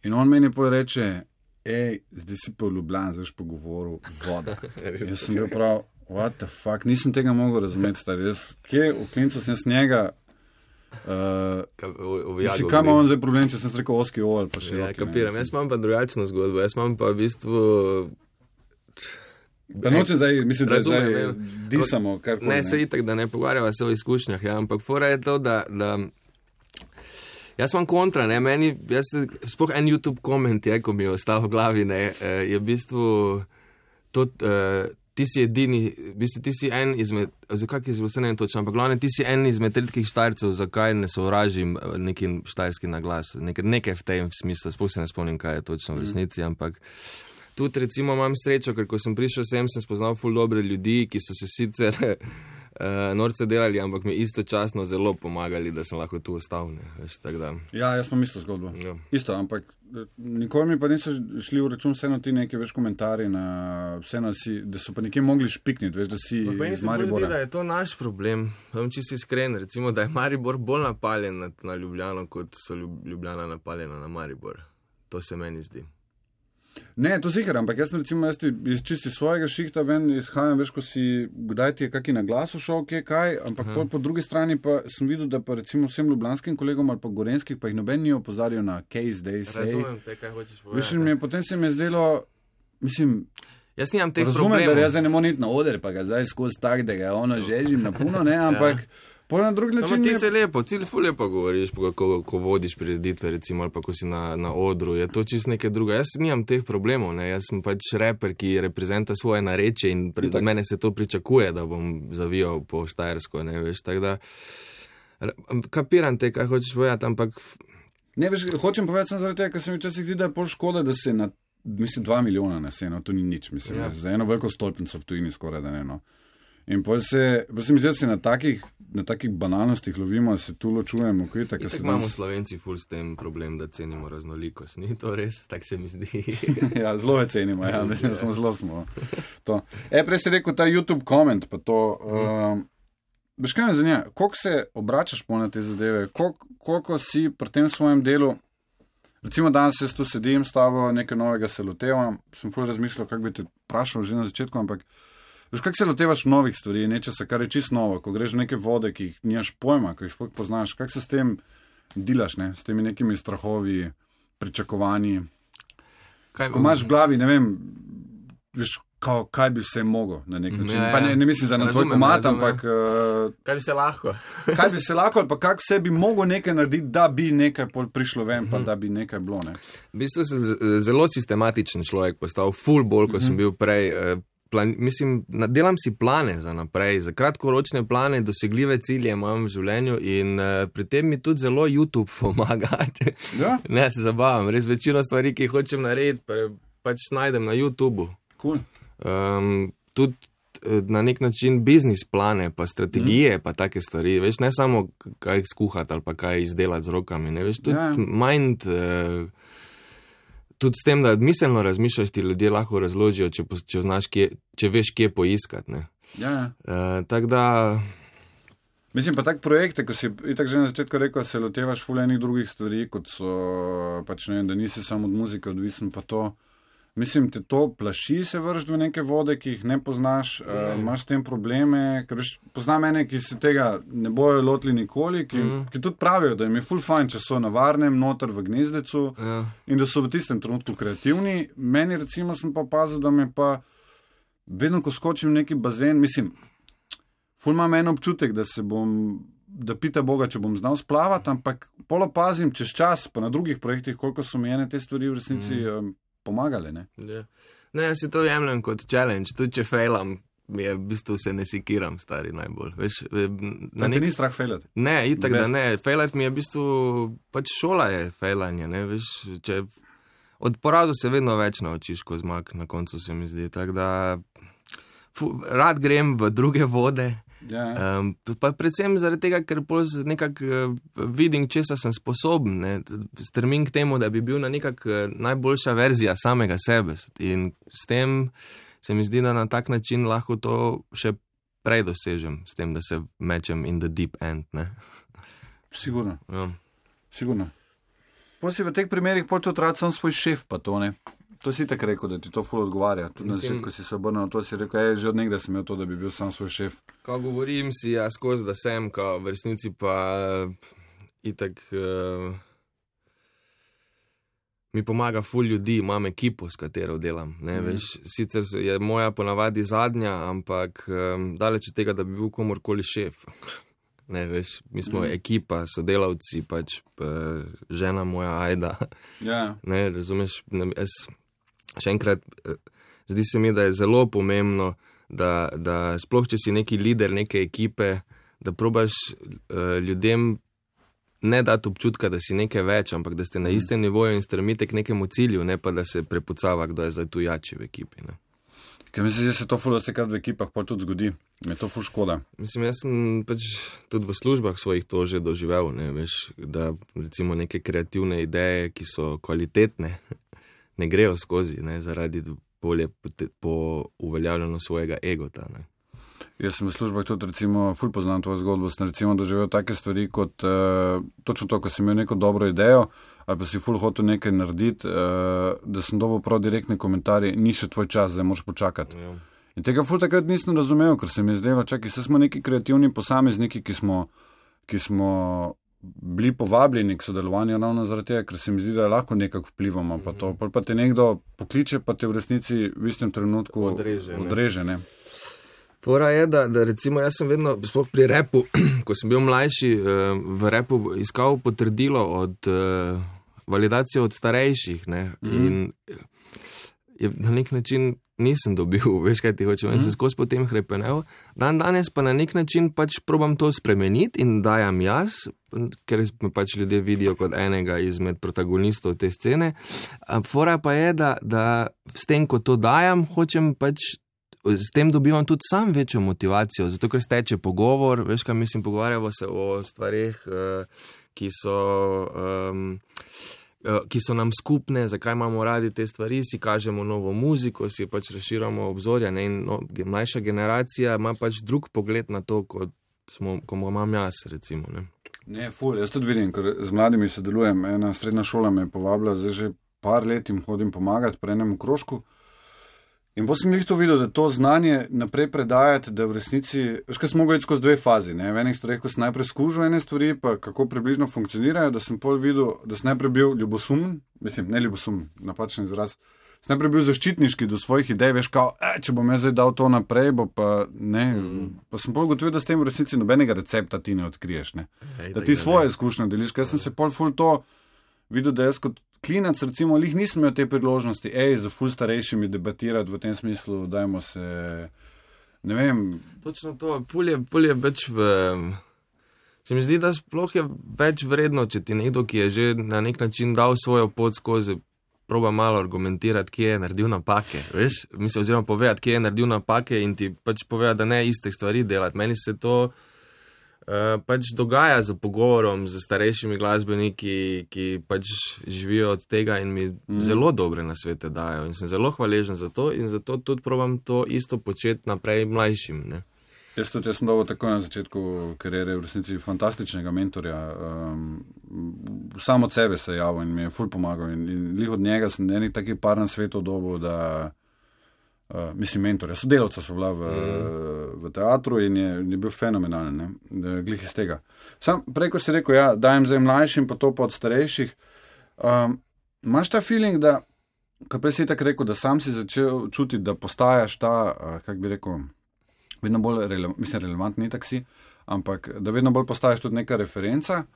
In on meni pol reče, ej, zdaj si pa v Ljubljani, zdaj pa govoril voda. Jaz sem bil prav, what the fuck, nisem tega mogel razumeti, stari. Jaz, kje v klincu sem s njega, Uh, si, kaj ima on zdaj problem, če sem rekel oski ol, pa še ja, roki, kapiram, jaz imam pa drugačno zgodbo, jaz imam pa v bistvu pa noče zdaj, mislim, da zdaj disamo karkoli. Ne, se itak, da ne pogovarjava se o izkušnjah, ja, ampak fora je to, da, da jaz imam kontra, ne, meni, jaz, spoh en YouTube koment je, ko mi je ostal v glavi, ne, je v bistvu to, uh, ti si edini, v bistvu ti si en izmed, oziroma kak je vse ne točno, ampak glavne, ti si en izmed redkih Štajercev, zakaj ne sovražim nekim štajerski naglas, nekaj, nekaj v tem smislu, sploh se ne spomnim, kaj je točno v resnici, ampak tudi recimo imam srečo, ker ko sem prišel sem, sem spoznal ful dobre ljudi, ki so se sicer uh, norce delali, ampak mi istočasno zelo pomagali, da sem lahko tu ostal, ne, veš, tak da. Ja, jaz imam isto zgodbo. Ja. Isto, ampak nikoli mi pa niso šli v račun vseeno ti neki več komentarji, na, vseeno si, da so pa nekje mogli špikniti, veš, da si iz Maribora. Meni se zdi, da je to naš problem. Vem, če si iskren, recimo, da je Maribor bolj napaljen na, na Ljubljano, kot so Ljubljana napaljena na Maribor. To se meni zdi. Ne, to sicer, ampak jaz recimo jaz iz čisti svojega šihta ven izhajam, veš, ko si, kdaj ti je kaki na glasu šel, kje kaj, ampak po, po drugi strani pa sem videl, da pa recimo vsem ljubljanskim kolegom ali pa gorenskih, pa jih noben ni opozarjal na case day say. Razumem te, kaj hočeš povedati. Veš, mi je, potem se mi je zdelo, mislim, jaz nimam teh razumem, problemov. da jaz ne morem iti na oder, pa ga zdaj skozi tak, da ga ono žežim na puno, ne, ampak ja. Na drugi način. No, ti se lepo, ti ful lepo govoriš, ko, ko vodiš prireditve, recimo, ali pa ko si na, na odru, je to čisto nekaj druga. Jaz nimam teh problemov, ne, jaz sem pač reper, ki reprezenta svoje narečje in pred mene se to pričakuje, da bom zavijal po štajersko, ne, veš, tako da, kapiram te, kaj hočeš povedati, ampak. Ne, veš, hočem povedati sem zaradi tega, ker se mi včasih zdi, da je pol škoda, da se na, mislim, dva milijona nese, no, to ni nič, mislim, ja. Za eno veliko stolpnico v tujini skoraj, da ne, no. In pa se, pa se mi zdi, da se na takih, na takih banalnostih lovimo, se tu ločujemo. Kaj, tak, tak imamo nas... Slovenci ful s tem problem, da cenimo raznolikost. Ni to res? Tak se mi zdi. Ja, zelo je cenimo, ja, mislim, da smo zelo smo. To. E, prej si rekel ta YouTube koment, pa to. Um, Veš, kaj me zanima, koliko se obračaš po na te zadeve, koliko, koliko si pri tem svojem delu, recimo danes jaz tu sedim s tabo, nekaj novega se lotevam, sem ful razmišljal, kako bi te vprašal že na začetku, ampak veš, kako se lotevaš novih stvari, nečesa, kar je čisto novo, ko greš v neke vode, ki jih nimaš pojma, ko jih sploh poznaš, kako se s tem dilaš, ne, s temi nekimi strahovi, pričakovanji. Kaj, ko imaš v glavi, ne vem, veš, kao, kaj bi vse mogel na nek način. Ja, ja. Pa ne, ne mislim za na tvoj komat, ampak uh, kaj bi se lahko? Kaj bi se lahko, ali pa kako vse bi mogel nekaj narediti, da bi nekaj prišlo ven, pa da bi nekaj bilo, ne. V bistvu sem zelo sistematičen človek postal, ful bolj, ko sem bil prej. Uh, Plan, mislim, delam si plane za naprej, za kratkoročne plane, dosegljive cilje imam v življenju in uh, pri tem mi tudi zelo YouTube pomaga. Ja? Ne, se zabavam, res večino stvari, ki jih hočem narediti, pa, pač najdem na YouTubu. Cool. Um, tudi na nek način biznis plane, pa strategije, mm. pa take stvari, veš, ne samo kaj skuhati ali pa kaj izdelati z rokami, ne, veš, tudi ja. mind... Uh, Tudi s tem, da miselno razmišljaš, ti ljudje lahko razložijo, če, če, znaš, kje, če veš, kje poiskati. Ja. Uh, tak da... Mislim pa tak projekte, ko si itak že na začetku rekel, se lotevaš ful enih drugih stvari, kot so, pač ne vem, da nisi samo od muzike odvisen, pa to... Mislim, te to plaši se vršiti v neke vode, ki jih ne poznaš, mm. uh, imaš s tem probleme, ker veš, poznam mene, ki se tega ne bojo lotili nikoli, ki, mm. ki tudi pravijo, da jim je ful fajn, če so na varnem, noter v gnezdecu ja. In da so v tistem trenutku kreativni. Meni recimo sem pa opazil, da me pa vedno, ko skočim v neki bazen, mislim, ful imam en občutek, da se bom, da pita Boga, če bom znal splavati, ampak pol opazim čez čas, pa na drugih projektih, koliko so mi ene te stvari v resnici mm. um, pomagale, ne? Ja. Ne, jaz si to jemljem kot challenge, tudi če failam, mi je v bistvu se ne sikiram, stari najbolj. Veš, na nek... Te ni strah failati? Ne, itak da ne, failat mi je v bistvu, pač šola je failanje, ne, veš, če od porazu se vedno več naučiš, ko zmag, na koncu se mi zdi, tako da fu, rad grem v druge vode. Ja. Um, pa predvsem zaradi tega, ker nekako uh, vidim, česa sem sposoben, ne? Strmim k temu, da bi bil na nekak uh, najboljša verzija samega sebe in s tem se mi zdi, da na tak način lahko to še prej dosežem, s tem, da se mečem in the deep end, ne? Sigurno. Ja. Sigurno. Potem si v teh primerih pol tudi rad sem svoj šef, pa to ne. To si tako rekel, da ti to ful odgovarja. Tudi na začetku si se obrnil na to, si rekel, ej, že od nekdaj sem imel to, da bi bil sam svoj šef. Ko govorim si, ja, skozi, da sem, ko v resnici pa itak uh, mi pomaga ful ljudi, imam ekipo, s katero delam. Ne, mm. veš, sicer je moja ponavadi zadnja, ampak um, daleč od tega, da bi bil komorkoli šef. Ne, veš, mi smo mm. ekipa, sodelavci, pač uh, žena moja Ajda. Yeah. Ne, razumeš, ne, jaz še enkrat, zdi se mi, da je zelo pomembno, da, da sploh, če si neki lider neke ekipe, da probaš uh, ljudem ne dati občutka, da si nekaj več, ampak da ste na istem nivoju in stremite k nekemu cilju, ne pa da se prepucava, kdo je zdaj tu jači v ekipi. Ne. Ker mislim, da se to ful vsekrat v ekipah pa tudi zgodi. Me to ful škoda. Mislim, jaz sem pač tudi v službah svojih to že doživel, ne, veš, da recimo neke kreativne ideje, ki so kvalitetne, ne grejo skozi, ne, zaradi bolje po uveljavljanju svojega egota, ne. Jaz sem v službah tudi, recimo, ful poznam tvojo zgodbo, sem recimo doživel take stvari kot uh, točno to, ko sem imel neko dobro idejo, ali pa si ful hotel nekaj narediti, uh, da sem dobil prav direktne komentarje, ni še tvoj čas, zdaj moraš počakati. Ja. In tega ful takrat nisem razumel, ker se mi je zdelo, čakaj, se smo neki kreativni posamezniki, ki smo, ki smo bili povabljeni k sodelovanju ravno zaradi tega, ker se mi zdi, da lahko nekako vplivamo, pa to, pa te nekdo pokliče, pa te v resnici v istem trenutku odreže. odreže ne. Fora je, da, da recimo jaz sem vedno, sploh pri repu, ko sem bil mlajši, v repu iskal potrdilo od uh, validacijo od starejših, ne, mm-hmm. in je, na nek način nisem dobil, veš kaj ti hočem, mm-hmm. in se skozi potem hrepenel. Dan danes pa na nek način pač probam to spremeniti in dajam jaz, ker me pač ljudje vidijo kot enega izmed protagonistov te scene. Fora pa je, da, da s tem, ko to dajam, hočem pač s tem dobivam tudi sam večjo motivacijo, zato ker steče pogovor, veš kaj mislim, pogovarjamo se o stvareh, ki so, um, ki so nam skupne, zakaj imamo radi te stvari, si kažemo novo muziko, si pač razširamo obzorja, ne, in no, mlajša generacija ima pač drug pogled na to, kot smo, ko imam jaz, recimo, ne. Ne, ful, jaz tudi vidim, ker z mladimi sodelujem, ena srednja šola me je povabila, zdaj že par let jim hodim pomagati pri enem krožku. In potem sem jih to videl, da to znanje naprej predajati, da v resnici, veš, kaj sem mogel iti skozi dve fazi, ne, v enih stvareh, ko sem najprej skužil ene stvari, pa kako približno funkcionirajo, da sem pol videl, da sem najprej bil ljubosumen, mislim, ne ljubosumen, napačen izraz, sem najprej bil zaščitniški do svojih idej, veš, kao, e, če bom jaz zdaj dal to naprej, bo pa ne, mm. pa sem pol gotovil, da s tem v resnici nobenega recepta ti ne odkriješ, ne, Ej, da ti svoje izkušnje deliš, ker sem se pol ful to videl, da jaz kot klinac, recimo, lih nisem imel te priložnosti, ej, za ful starejšimi debatirati v tem smislu, dajmo se, ne vem. Točno to, ful je, ful je več v, se mi zdi, da sploh je več vredno, če ti nekdo, ki je že na nek način dal svojo pot skozi, proba malo argumentirati, kje je naredil napake, veš, mislim, oziroma povedati, kje je naredil napake in ti pač povedati, da ne istih stvari delati. Meni se to Uh, pač dogaja z pogovorom z starejšimi glasbeniki, ki pač živijo od tega in mi mm. zelo dobre nasvete dajo in sem zelo hvaležen za to in zato tudi probam to isto početi naprej mlajšim, ne. Jaz tudi, jaz sem dobil tako na začetku kariere v resnici fantastičnega mentorja, um, samo od sebe se je javil in mi je ful pomagal in, in lih od njega sem enih takih par nasvetov dobil, da Uh, mislim, mentorja, sodelavca so bila v, mm. v teatru in je, je bil fenomenalen, ne, glih iz tega. Sam prej, ko si rekel, ja, dajem zdaj mlajšim, pa to pa od starejših, um, imaš ta feeling, da, ko prej si tako rekel, da sam si začel čutiti, da postajaš ta, uh, kak bi rekel, vedno bolj, rele, mislim, relevantni taksi, ampak da vedno bolj postaješ tudi neka referenca,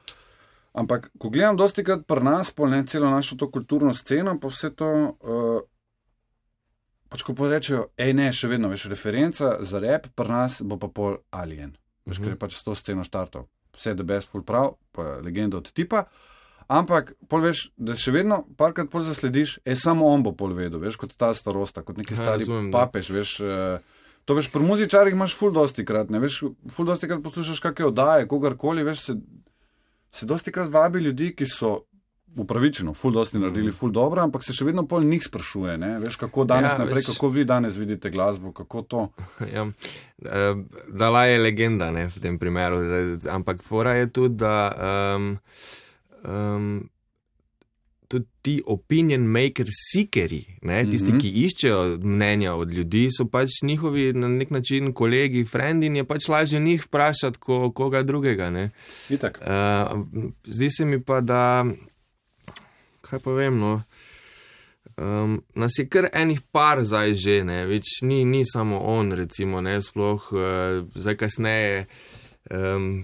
ampak ko gledam dosti krat pri nas, pol ne, celo našo to kulturno sceno, pa vse to, uh, pač ko pa rečejo, ej ne, še vedno, veš, referenca za rap pri nas bo pa pol Alien. Veš, mm-hmm. ker je pač s to sceno štartal. Vse the best, full prav, pa legenda od tipa. Ampak, pol veš, da še vedno parkrat pol zaslediš, ej, samo on bo pol vedel, veš, kot ta starosta, kot neki stari ja, papež, veš, To veš, pri muzičarjih imaš ful dosti krat, ne veš, ful dosti krat poslušaš kakšne oddaje, kogarkoli, veš, se, se dosti krat vabi ljudi, ki so upravičeno, ful dosti naredili, ful dobro, ampak se še vedno pol njih sprašuje, ne, veš, kako danes ja, naprej, veš, kako vi danes vidite glasbo, kako to. Ja, Dalaj je legenda, ne, v tem primeru, ampak fora je tudi, da um, um, tudi ti opinion maker seekeri, ne, tisti, mm-hmm. ki iščejo mnenja od ljudi, so pač njihovi na nek način kolegi, frendi in je pač lažje njih vprašati, ko, koga drugega, ne. Itak. Uh, zdi se mi pa, da, kaj pa vem, no, um, nas je kar enih par zdaj že, ne, več ni, ni samo on, recimo, ne, sploh, uh, zdaj kasneje, um,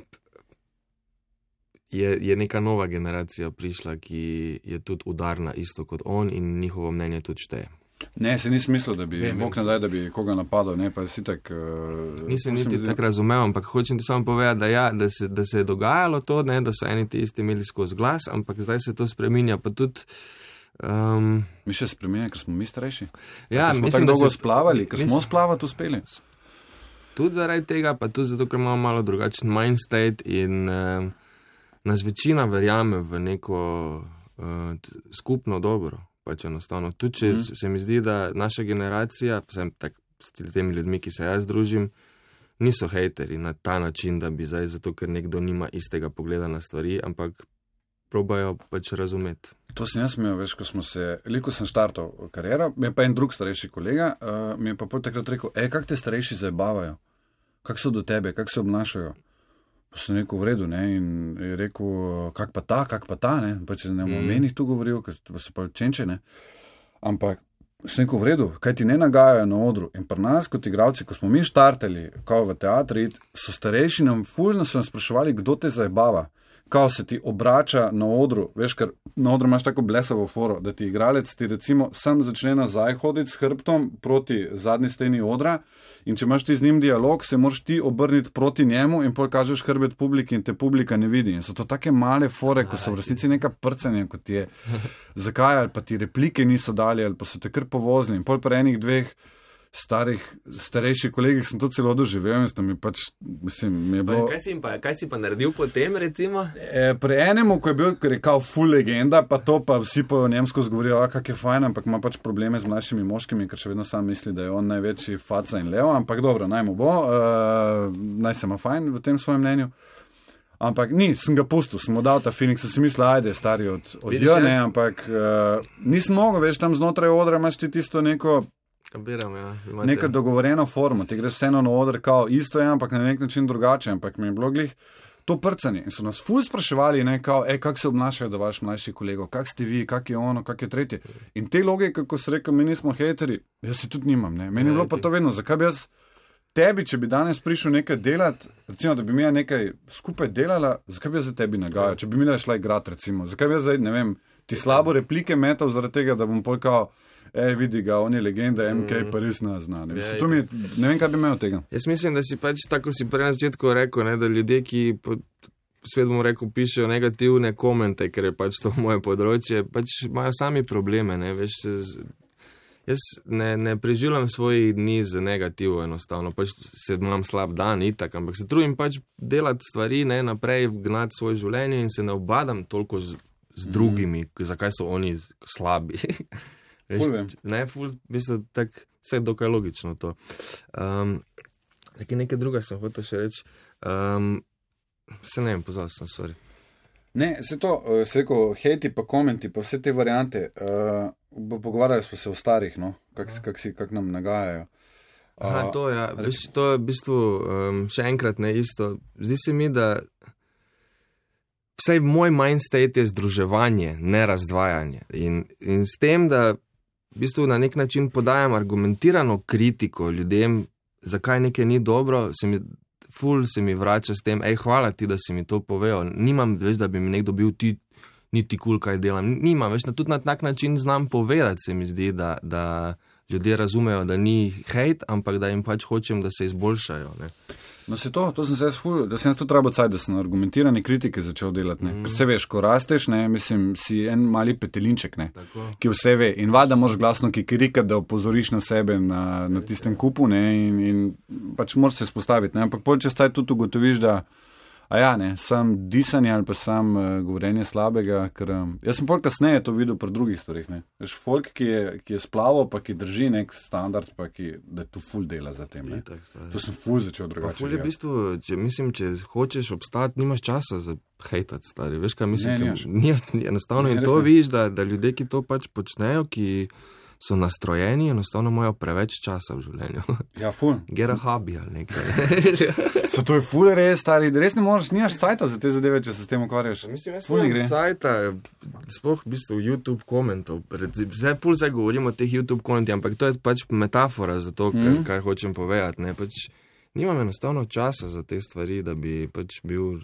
Je, je neka nova generacija prišla, ki je tudi udarna isto kot on in njihovo mnenje tudi šteje. Ne, se ni smislil, da bi, bog ne daj, da bi koga napadal, ne, pa si tak... Uh, Nisem niti zdi... tako razumel, ampak hočem ti samo povedati, da, ja, da, se, da se je dogajalo to, ne, da so eni ti isti imeli skozi glas, ampak zdaj se to spreminja, pa tudi... Um, mi še spreminja, ker smo mi starejši? Ja, ker smo mislim, tako dolgo se... splavali, ker mislim... smo splavati uspeli. Tudi zaradi tega, pa tudi zato, ker imamo malo drugačen mindstate in... Uh, Nas večina verjame v neko uh, skupno dobro, pač enostavno. Tudi, če mm. se mi zdi, da naša generacija, vsem tak, s temi ljudmi, ki se jaz družim, niso hejteri na ta način, da bi zdaj, zato ker nekdo nima istega pogleda na stvari, ampak probajo pač razumeti. To sem jaz imel, veš, ko smo se, veliko sem štartal kariero, mi je pa en drug starejši kolega, uh, mi je pa pol takrat rekel, ej, kak te starejši zabavajo? Kak so do tebe, kak se obnašajo? Pa sem rekel v redu, ne, in je rekel, kak pa ta, kak pa ta, ne, pa če ne bom mm. menih tu govoril, ker so pa čenče, ne, ampak sem rekel v redu, kaj ti ne nagajajo na odru in pri nas kot igravci, ko smo mi štartali, kao v teatri, so starejši nam fulno so nam spraševali, kdo te zajebava, kao se ti obrača na odru, veš, ker na odru imaš tako blesavo foro, da ti igralec ti recimo sam začne nazaj hoditi s hrbtom proti zadnji steni odra. In če imaš ti z njim dialog, se moraš ti obrniti proti njemu in pol kažeš hrbet publiki in te publika ne vidi. In so to take male fore, ko so v resnici neka prcanja, kot je zakaj, ali pa ti replike niso dali, ali pa so te kar povozili. In pol pri enih dveh starih, starejših kolegih sem to celo doživel in sem mi pač, mislim, mi je bilo... Kaj si pa, kaj si pa naredil potem, recimo? E, pri enemu, ko je bil, ker je kao full legenda, pa to pa vsi po njemsko zgovorijo, a kak je fajn, ampak ima pač probleme z mlajšimi moškimi, ker še vedno sam misli, da je on največji faca in levo, ampak dobro, naj mu bo, uh, naj se ima fajn v tem svojem mnenju. Ampak ni, sem ga pustil, sem mu dal ta feeling, sem si mislil, ajde, stari od, od jo, ne, ampak uh, nisem mogel, veš, tam znotraj odra imaš ti tisto neko Kabiram, ja. Neka dogovorjena forma, ti greš vseeno na oder, kao isto je, ampak na nek način drugače, ampak mi je bilo glih to prcanje. In so nas ful spraševali, ne, kao, ej, kak se obnašajo do vaš mlajši kolego, kak ste vi, kak je ono, kak je tretje. In te logike, kako se rekel, mi nismo hejteri, jaz si tudi nimam, ne. Meni je bilo pa to vedno, zakaj bi jaz tebi, če bi danes prišel nekaj delati, recimo, da bi mi nekaj skupaj delala, zakaj bi jaz za tebi nagajal, če bi mi šla igrati, recimo, zakaj bi jaz zdaj, ne vem, ti slabo replike metal zaradi tega, da bom polkal, ej, vidi ga, on je legenda, M K pa res ne zna. Ne, ja, mi, ne vem, kaj bi imel tega. Jaz mislim, da si pač, tako si prej na začetku rekel, ne, da ljudje, ki po svetu bomo rekel, pišejo negativne komente, ker je pač to moje področje, pač imajo sami probleme, ne, veš, se z... Jaz ne, ne preživljam svojih dni z negativo enostavno, pač se imam slab dan, itak, ampak se trudim pač delati stvari, ne, naprej, gnati svoje življenje in se ne obadam toliko z, z drugimi, mm. zakaj so oni slabi. Ful vem. Ne, ful, mislim, tako, vse je dokaj logično to. Um, nekaj, nekaj druga sem hotel še reči. Um, se ne vem, pozval sem, sorry. Ne, se to, se rekel, hejti pa komenti, pa vse te variante, uh, pogovarjali smo se o starih, no, kak, kak, si, kak nam nagajajo. Uh, Aha, to, ja, veš, to je v bistvu um, še enkrat ne isto. Zdi se mi, da vsaj moj mindstate je združevanje, ne razdvajanje. In, in s tem, da v bistvu na nek način podajam argumentirano kritiko ljudem, zakaj nekaj ni dobro, se mi, ful se mi vrača s tem, ej, hvala ti, da si mi to povedal. Nimam, veš, da bi mi nekdo bil ti, niti kul, kaj delam. Nimam, veš, na tudi na tak način znam povedati, se mi zdi, da, da ljudje razumejo, da ni hejt, ampak da jim pač hočem, da se izboljšajo, ne. No se to, to sem se jaz ful, da sem jaz tudi rabo caj, da sem argumentirane kritike začel delati, ne. Mm. Ker se veš, ko rasteš, ne, mislim, si en mali petelinček, ne, tako. Ki vse ve. In vada moraš glasno kikirikati, da opozoriš na sebe na, na tistem kupu, ne, in, in pač moraš se spostaviti, ne. Ampak pol čez taj tudi ugotoviš, da a ja, ne, sam disanje ali pa sam uh, govorenje slabega, ker um, jaz sem pol kasneje to videl pri drugih stvarih, ne. Veš, folk, ki je, ki je splaval, pa ki drži nek standard, pa ki, da tu ful dela za tem, ne. To sem ful začel drugače. Pa ful je v bistvu, če, mislim, če hočeš obstati, nimaš časa za hejtati, stari. Veš, kaj mislim, ne, ni, enostavno ne, in to vidiš, da, da ljudje, ki to pač počnejo, ki so nastrojeni, enostavno imajo preveč časa v življenju. Ja, ful. Get a hobby ali nekaj. So to je ful res, stari, res ne možeš, nimaš cajta za te zadeve, če se s tem ukvarjaš. Mislim, jaz nimam cajta, sploh v bistvu YouTube komentov. Zdaj ful zdaj govorimo o teh YouTube komentih, ampak to je pač metafora za to, kar, mm. kar hočem povedati. Ne? Pač nimam enostavno časa za te stvari, da bi pač bil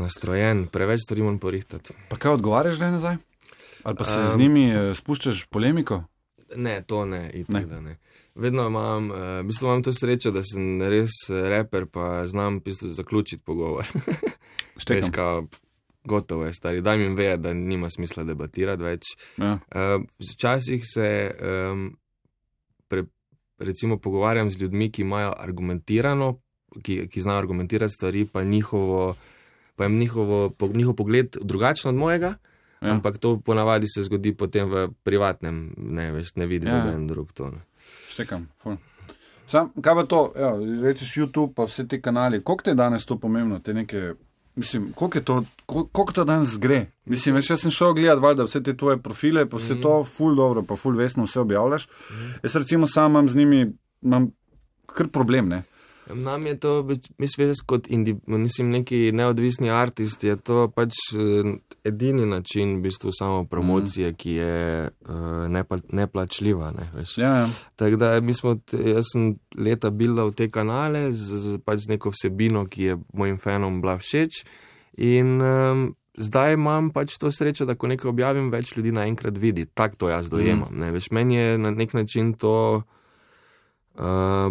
nastrojen, preveč stvari moram porihtati. Pa kaj odgovarjaš le nazaj? Ali pa se um, z njimi spuščaš polemiko? Ne, to ne, itak, ne. ne. Vedno imam, uh, v bistvu imam to srečo, da sem res reper, pa znam v bistvu zaključiti pogovor. Štekam. Veš, kao, gotovo je, stari, daj mi veja, da nima smisla debatirati več. Ja. Uh, včasih se um, pre, recimo pogovarjam z ljudmi, ki imajo argumentirano, ki, ki znajo argumentirati stvari, pa njihovo, pa jim njihovo, po, njihov pogled drugačno od mojega. Ja. Ampak to ponavadi se zgodi potem v privatnem, ne veš, ne vidi noben ja. drug to. Ne. Štekam, ful. Sam, kaj pa to, ja, rečeš YouTube pa vse te kanali, koliko te je danes to pomembno, te neke, mislim, koliko je to, koliko to danes gre? Mislim, veš, jaz sem šel gledati, valjda, vse te tvoje profile, pa vse mm. to ful dobro, pa ful vestno vse objavljaš. Mm. Jaz recimo sam imam z njimi, imam kar problem, ne. Nam je to, mislim, kot indi, mislim, neki neodvisni artist, je to pač edini način v bistvu samo promocije, mm. ki je uh, nepla, neplačljiva. Ne, veš. Ja, ja. Tako da mi smo, jaz sem leta bildal te kanale z, z pač neko vsebino, ki je mojim fanom bila všeč in um, zdaj imam pač to srečo, da ko nekaj objavim, več ljudi naenkrat vidi. Tak to jaz dojemam. Mm. Ne, veš, meni je na nek način to uh,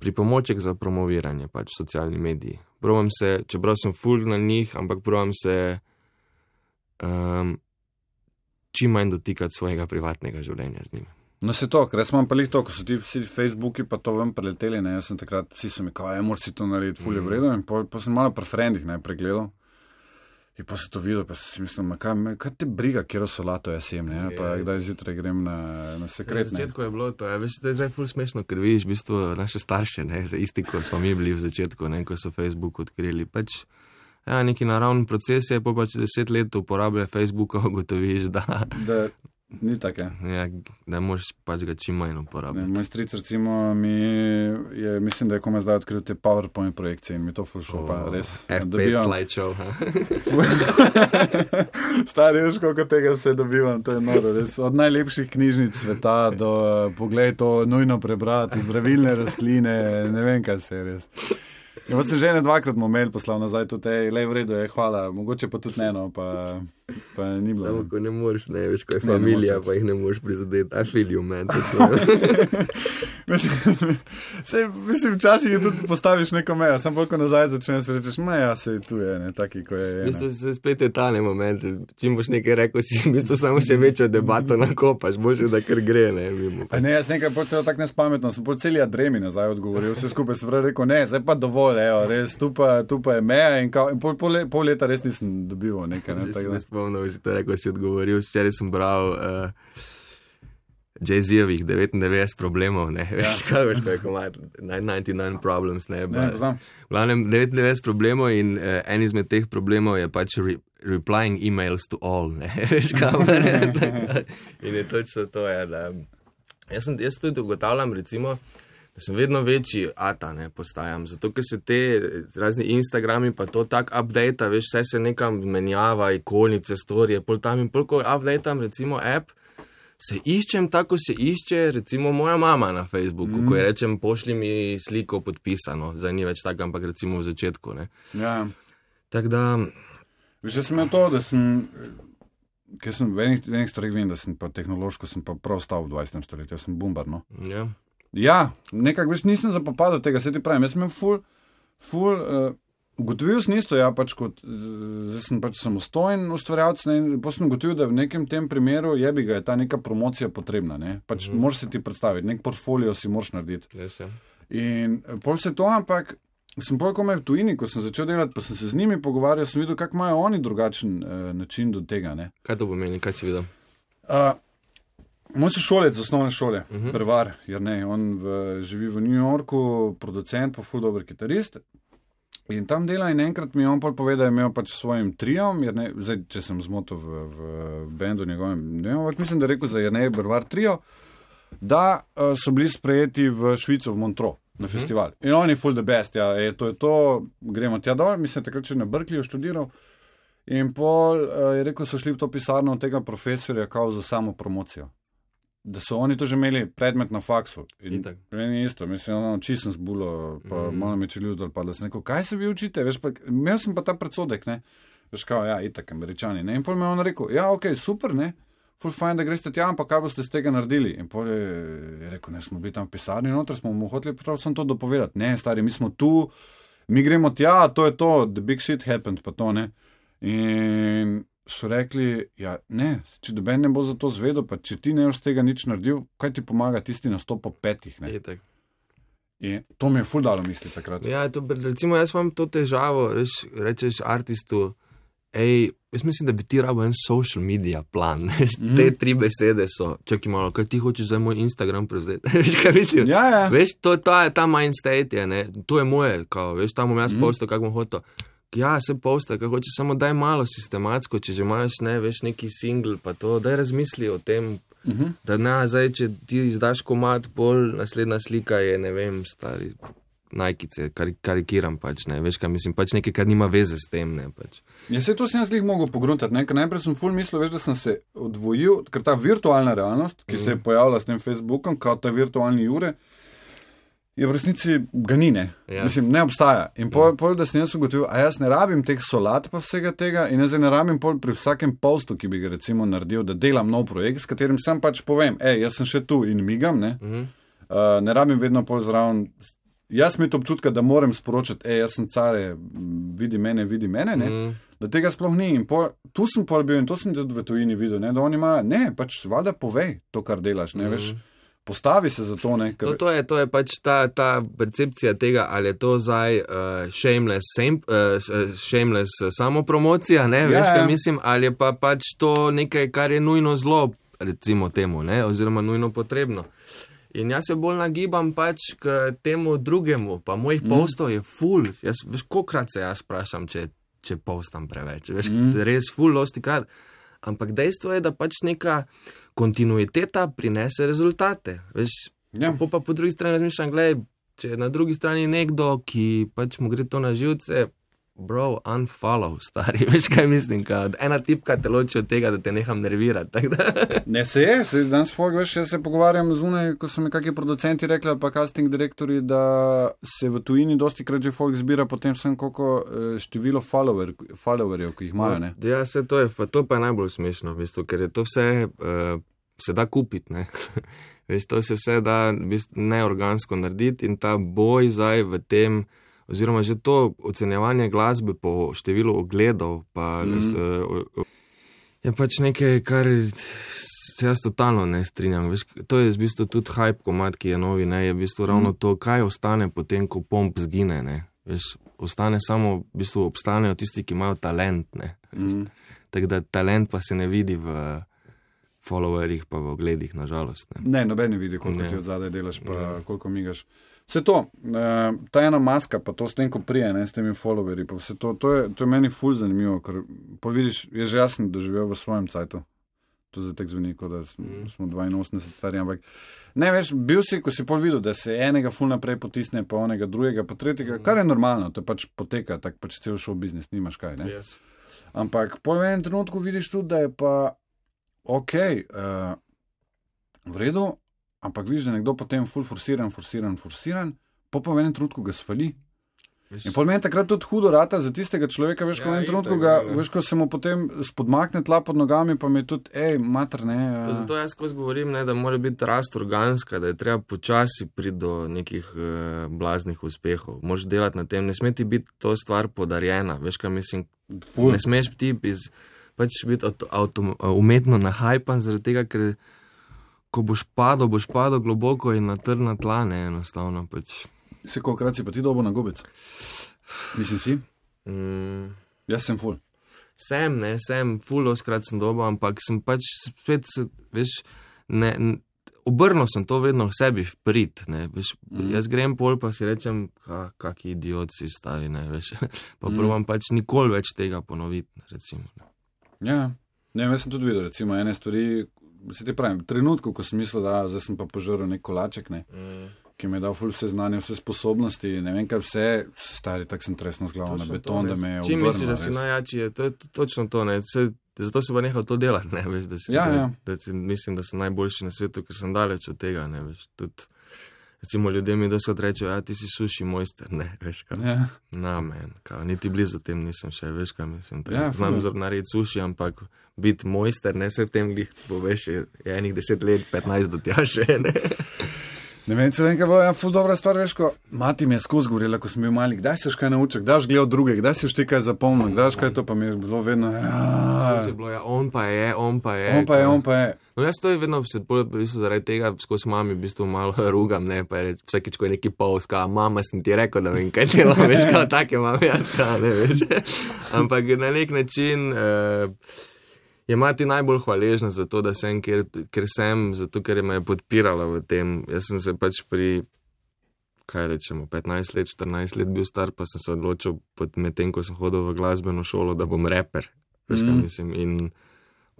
pripomoček za promoviranje, pač socialni mediji. Provam se, čeprav sem ful na njih, ampak provam se um, čim manj dotikati svojega privatnega življenja z njimi. No se to, ker jaz imam pa lih to, ko so ti vsi Facebooki pa to ven preleteli, ne, jaz sem takrat, vsi so mi kao, ja, moraš si to narediti, ful je vredno, in pa, pa sem malo pri frendih, ne, pregledal. In pa se to videl, pa si mislim, kaj, kaj te briga, kjero solato jaz jem, ne, pa kdaj zjutraj grem na, na sekret, ne. Na začetku je bilo to, ja, veš, to je zdaj ful smešno, ker vidiš v bistvu naše starše, ne, isti, ko smo mi bili v začetku, ne, ko so Facebook odkrili, pač, ja, neki naravni proces je, pa pač deset let uporablja Facebooka, ugotoviš, da... da ni tako, ja, da moraš pač ga čim manj uporabljati. Moj stric, recimo, mi je, mislim, da je komaj zdaj odkril te PowerPoint projekcije in mi to ful šlo, pa res. F pet slideshow, ha? Stari, veš, koliko tega vse dobivam, to je noro, res. Od najlepših knjižnic sveta do, poglej, to nujno prebrati, zdravilne rastline, ne vem, kaj se je res. Ja, pa sem že ne dvakrat mu mail poslal nazaj, tudi, ej, lej, v redu je, hvala, mogoče pa tudi eno, pa, pa ni bilo. Samo, ko ne moreš, ne, veš, ko je familija, pa jih ne moreš prizadeti, I feel you, man. mislim, se, mislim, včasih je tudi postaviš neko mejo, sam bolj, ko nazaj začneš, rečeš, meja se tu je, ne, taki, ko je. V bistvu se spet je tale moment, čim boš nekaj rekel, si v bistvu samo še večjo debato nakopaš, boš da kar gre, ne, vimo. A ne, jaz nekaj pol celo tak nespametno, sem pol celi adremi nazaj odgovoril, vse skupaj se pravi rekel, ne, zdaj pa dovolj. Evo, res, tu pa, tu pa je meja in, kao, in pol, pol, pol leta res nisem dobival nekaj. Ne, si me spomnil, si to rekel, si odgovoril. Včeraj sem bral uh, Jay-Zjevih devetindevetdeset problemov, ne, ja. Veš, kaj veš, kaj je komad, devetdeset devet problems, ne, ne, poznam. V glavnem devetindevetdeset problemov in uh, en izmed teh problemov je pač re, replying emails to all, ne, veš, kaj in je točno to, ja, da jaz, sem, jaz tudi ugotavljam, recimo, da sem vedno večji ata, ne, postajam, zato, ker se te razni Instagrami pa to tak update, veš, vse se nekam menjava, ikolnice, storije, pol tam in pol, ko updateam, recimo, app, se iščem tako, se išče, recimo, moja mama na Facebooku, mm. ko je rečem, pošli mi sliko podpisano, zdaj ni več tako, ampak recimo v začetku, ne. Ja. Tako da... Veš, jaz sem to, da sem, ker sem v enih, enih stvarih vem, da sem pa tehnološko, sem pa prav stal v dvajsetem stoletju, jaz sem bumbar, no. Ja. Ja, nekako, veš, nisem zapopadal tega, se ti pravim, jaz sem imel ful, ful, uh, ugotovil sem isto, ja, pač kot, zdaj sem pač samostojen ustvarjalec, ne, in potem sem ugotovil, da v nekem tem primeru je bi ga je ta neka promocija potrebna, ne, pač mm. moraš se ti predstaviti, nek portfolio si moraš narediti. Yes, ja. In pol se to, ampak sem pol komaj v tujini, ko sem začel delati, pa sem se z njimi pogovarjal, sem videl, kako imajo oni drugačen uh, način do tega, ne. Kaj to pomeni, kaj si videl? Uh, Moj sošolec z osnovne šole, uh-huh. Brevar, Jernej, on v, živi v New Yorku, producent, pa ful dober kitarist. In tam dela in enkrat mi je on pol povedal, da je imel pač svojim triom, Jernej, zdaj, če sem zmotil v, v bendu njegovem, ne vem, mislim, da je rekel za Jernej Brevar trio, da uh, so bili sprejeti v Švico, v Montreux, na uh-huh. festival. In on je full the best, ja, je, to je to, gremo tja dol, mislim, takrat še na Berkeleyju študiral. In pol uh, je rekel, so šli v to pisarno od tega profesorja kao za samo promocijo. Da so oni to že imeli predmet na faksu. In meni je isto, mislim, ono, oči sem zbulo, pa mm. malo me čelil zdol, pa da sem rekel, kaj se vi učite? Veš, pa, imel sem pa ta predsodek, ne? Veš, kao, ja, itak, Američani, ne? In pol me on rekel, ja, ok, super, ne? Ful fajn, da greste tja, ampak kaj boste z tega naredili? In pol je, je rekel, ne, smo bili tam v pisarni noter, smo mu hoteli prav sem to dopovedati. Ne, stari, mi smo tu, mi gremo tja, to je to, the big shit happened, pa to, ne? In so rekli, ja, ne, če doben ne bo za to zvedel, pa če ti ne boš tega nič naredil, kaj ti pomaga tisti nastop po petih, ne? Je, in to mi je ful dalo misli takrat. Ja, to, recimo, jaz imam to težavo, reš, rečeš artistu, ej, jaz mislim, da bi ti rabo en social media plan, mm. te tri besede so, čakaj malo, kaj ti hočeš za moj Instagram prevzeti, veš, kaj mislim? Ja, ja. Veš, to, ta, ta mind state je, ne, to je moje, kao, veš, tam bom jaz mm. postal, kak bom hotel. Ja, se posta, kaj hoče, samo daj malo sistematsko, če že imaš, ne, veš, neki single, pa to, daj razmisli o tem, uh-huh. da ne, zdaj, če ti izdaš komad, pol, naslednja slika je, ne vem, stari najkice, kar, karikiram pač, ne, veš, kaj mislim, pač nekaj, kar nima veze s tem, ne, pač. Ja, se to sem jaz lih mogel pogruntati, ne, ker najprej sem ful mislil, veš, da sem se odvojil, ker ta virtualna realnost, ki uh-huh. se je pojavila s tem Facebookom, kao ta virtualni Jure, je v resnici ga ni, ne. Ja. Mislim, ne obstaja. In pol, pol, da sem jaz ugotovil, a jaz ne rabim teh solat pa vsega tega in jaz ne rabim pol pri vsakem postu, ki bi ga recimo naredil, da delam nov projekt, s katerim sam pač povem, ej, jaz sem še tu in migam, ne. Uh-huh. Uh, ne rabim vedno pol zraven. Jaz mi to občutka, da moram sporočati, ej, jaz sem care, vidi mene, vidi mene, ne. Uh-huh. Da tega sploh ni. In pol, tu sem pol bil in to sem tudi v tujini videl, ne, da oni imajo, ne, pač valjda povej to, kar delaš, ne, uh-huh. veš. Postavi se za to, ne? Ker... No, to je, to je pač ta, ta percepcija tega, ali je to zdaj uh, shameless, same, uh, shameless samopromocija, ne, veš, ja, kaj ja. mislim, ali je pa pač to nekaj, kar je nujno zlo, recimo temu, ne, oziroma nujno potrebno. In jaz se bolj nagibam pač k temu drugemu, pa mojih mm. postov je ful, jaz, veš, kolikrat se jaz sprašam, če, če postam preveč, veš, mm. res ful, dosti krat. Ampak dejstvo je, da pač neka kontinuiteta prinese rezultate. Veš, ja. pa, pa po drugi strani razmišljam, gledaj, če je na drugi strani nekdo, ki pač mu gre to na živce, bro, unfollow, stari, veš kaj mislim, kad ena tipka te loči od tega, da te neham nervirati. Ne, se je, se danes folk, veš, jaz se pogovarjam zunaj, ko so mi kakšni producenti rekli, ali pa casting direktori, da se v tujini dosti krat že folk zbira potem sem koliko število follower, followerjev, ki jih imajo, ne? Ja, se to je, to pa je najbolj smešno, v bistvu, ker je to vse, uh, se da kupiti, ne? Veš, to se vse da v bistvu neorgansko narediti in ta boj zdaj v tem, oziroma že to ocenjevanje glasbe po številu ogledov, pa mm. je pač nekaj, kar se jaz totalno ne strinjam. Veš, to je v bistvu tudi hype komad, ki je novi, ne, je v bistvu ravno mm. to, kaj ostane potem, ko pomp zgine, ne. Veš, ostane samo, v bistvu obstanejo tisti, ki imajo talent, ne. Mm. Tako da talent pa se ne vidi v followerjih, pa v ogledih, nažalost. Ne, ne noben ne vidi, koliko ne. Ti od zadaj delaš, pa ne. Koliko migaš. Vse to, ta ena maska, pa to s tem, ko prije, ne, s temi followerji, pa vse to, to je, to je meni ful zanimivo, ker pol vidiš, je že jasno doživel v svojem cajtu. To zdaj tek zveni, kot da smo, smo dvainosemdeset stari, ampak ne, veš, bil si, ko si pol videl, da se enega ful naprej potisne, pa onega drugega, pa tretjega, kar je normalno, to pač poteka, tak pač cel show biznis, nimaš kaj, ne. Yes. Ampak pol v enem trenutku vidiš tudi, da je pa okej, okay, uh, v redu, ampak vidiš, da nekdo potem ful forsiran, forsiran, forsiran, pa pa v enem trenutku ga svali. In pol meni takrat tudi hudo rata za tistega človeka, veš, ko ja, v enem trenutku ga, veš, ko se mu potem spodmakne tla pod nogami, pa mi je tudi, ej, mater, ne. To zato jaz skozi govorim, ne, da mora biti rast organska, da je treba počasi priti do nekih uh, blaznih uspehov. Moraš delati na tem, ne sme ti biti to stvar podarjena, veš, kaj mislim, Ful. ne smeš ti iz, pač biti auto, auto, umetno nahajpan, zaradi tega, ker ko boš padel, boš padel globoko in na trdna tla, ne, enostavno, pač. Se kolikrat si pa ti dobo na gobec? Mislim si? Mm. Jaz sem ful. Sem, ne, sem, ful oskrat sem dobo, ampak sem pač spet, veš, ne, obrnil sem to vedno v sebi vprit, ne, veš, mm. jaz grem pol pa si rečem, ka, kaki idiot si stari, ne, veš, pa mm. provam pač nikoli več tega ponoviti, recimo. Ja, ne, jaz sem tudi videl, recimo, ene stvari, se ti pravim, v trenutku, ko sem mislil, da zdaj sem pa požrl nek kolaček, ne, mm. ki mi je dal ful vse znanje, vse sposobnosti, ne vem kaj vse, stari, tak sem tresno z glavo na beton, to, da me je obrnil. Čim misliš, da si najjači, je to je točno to, ne, se, zato se pa nehal to delati, ne, veš, da si, ja, da, ja. da si, mislim, da sem najboljši na svetu, ker sem daleč od tega, ne, veš, tudi, recimo, ljudje mi doskrat rečejo, ja, ti si suši mojster, ne, veš, kaj, ja. na men, kaj, niti blizu tem nisem še, veš, kaj mislim, ja, znam narediti suši, ampak biti mojster, ne, se v tem glih, bo veš, je, je enih deset let, petnajst do tja še, ne. Ne vem, se vem, kaj bo, ja, ful dobra stvar, veš, ko mati mi je skozi govorila, ko sem bil mali, kdaj si kaj naučil, kdaj si gledal druge, kdaj si ti kaj zapomnil, kdaj si kaj to, pa mi je bilo vedno, ja. Si bilo, ja, on pa je, on pa je. On pa je, on pa je. No, jaz to je vedno, v bistvu, zaradi tega, skozi mami, v bistvu malo rugam, ne, pa je reč, vsakič, ko je neki polska, mama, sem ti rekel, da vem, kaj delam, veš, kao take mame, jaz kao, ne, veš. Ampak na nek način, uh, je mati najbolj hvaležna za to, da sem, ker, ker sem, zato ker me je podpirala v tem. Jaz sem se pač pri, kaj rečemo, petnajst let, štirinajst let bil star, pa sem se odločil med tem, ko sem hodil v glasbeno šolo, da bom reper. Veš, kaj mm. mislim, in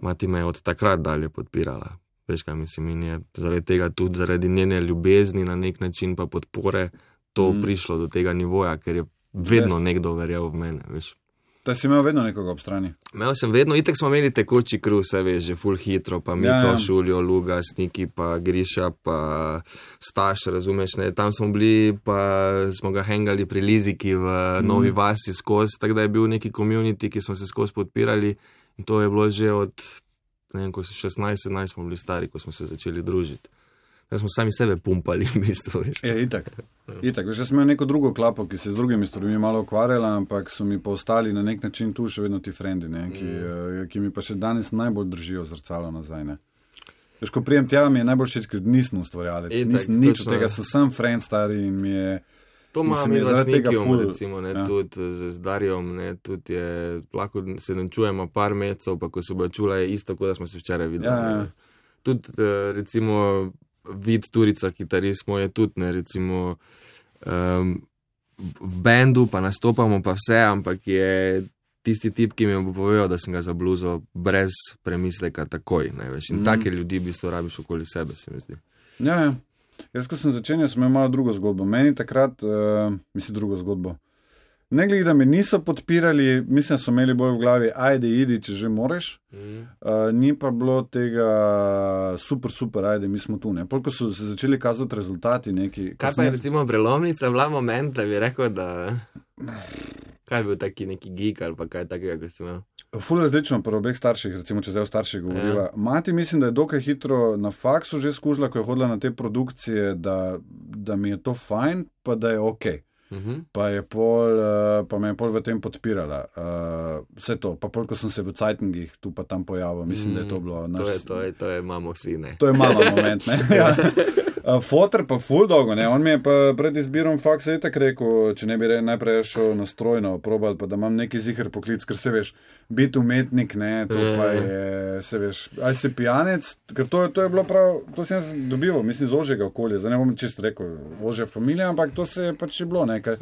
mati me je od takrat dalje podpirala. Veš, kaj mislim, in je zaradi tega tudi, zaradi njene ljubezni na nek način pa podpore, to mm. prišlo do tega nivoja, ker je vedno yes. nekdo verjel v mene, veš. Da si imel vedno nekoga ob strani? Imel sem vedno, itek smo imeli tekoči kruh, se veš, že ful hitro, pa mi ja, to ja. Šuljo, Luga, Sniki, pa Griša, pa Staš, razumeš, ne, tam smo bili, pa smo ga hengali pri Liziki v mm. Novi Vasi skozi, tako da je bil neki community, ki smo se skozi podpirali in to je bilo že od, ne vem, ko se šestnajst sedemnajst smo bili stari, ko smo se začeli družiti. Da smo sami sebe pumpali, v bistvu, veš. Je, itak. Itak. Veš, jaz sem imel neko drugo klapo, ki se z drugimi stvarmi malo ukvarjala, ampak so mi pa ostali na nek način tu še vedno ti frendi, ne, ki, mm. ki mi pa še danes najbolj držijo zrcalo nazaj, ne. Veš, ko prijem tja, mi je najbolj všeč, ker nisem ustvarjalec, nisem nič od tega, sem sem friend stari in mi je... To imam mi z Nikijom, recimo, ne, ja. tudi z, z Darjom, ne, tudi je, lahko se načujemo par mesecev, pa ko se bo čula, je isto, kot da smo se včeraj videli. Ja, ja. Tudi, recimo, Vid Turica, kitarist moj je tudi, ne, recimo, um, v bendu pa nastopamo pa vse, ampak je tisti tip, ki mi bo povedal, da sem ga za bluzo brez premisleka takoj, ne, veš, in mm. take ljudi v bistvu rabiš okoli sebe, se mi zdi. Ja, ja. Jaz, ko sem začenjal, sem imel malo drugo zgodbo. Meni takrat, uh, mislim, drugo zgodbo. Ne glede, da me niso podpirali, mislim, so imeli bolj v glavi, ajde, idi, če že moreš. Mm. Uh, ni pa bilo tega super, super, ajde, mi smo tu, ne. Polko so se začeli kazati rezultati neki. Kaj pa je, recimo, prelomnica, bila moment, da bi rekel, da... Kaj je bil taki neki geek ali pa kaj takega, ko si imel? Ful različno pri obeh starših, recimo, če zdaj o starših govoriva. Ja. Mati mislim, da je dokaj hitro na faksu že skužila, ko je hodila na te produkcije, da, da mi je to fajn, pa da je okej. Okay. Uh-huh. Pa, je pol, uh, pa me je pol v tem podpirala. Uh, vse to. Pa pol, ko sem se v Cajtengih tu pa tam pojavil, mislim, mm, da je to bilo... Naš... To je, to je, to je mamo vsi, ne? To je mama moment, ne? Ja. Uh, Foter pa ful dolgo, ne? On mi je pa pred izbirom faksa itak rekel, če ne bi re, najprej šel na strojno probal, pa da imam neki ziher poklic, ker se veš, biti umetnik, ne, to pa je, se veš, aj si pijanec, ker to, to je bilo prav, to sem jaz dobival, mislim, z ožjega okolja, zdaj ne bom čisto rekel ožja familija, ampak to se je pač je bilo nekaj.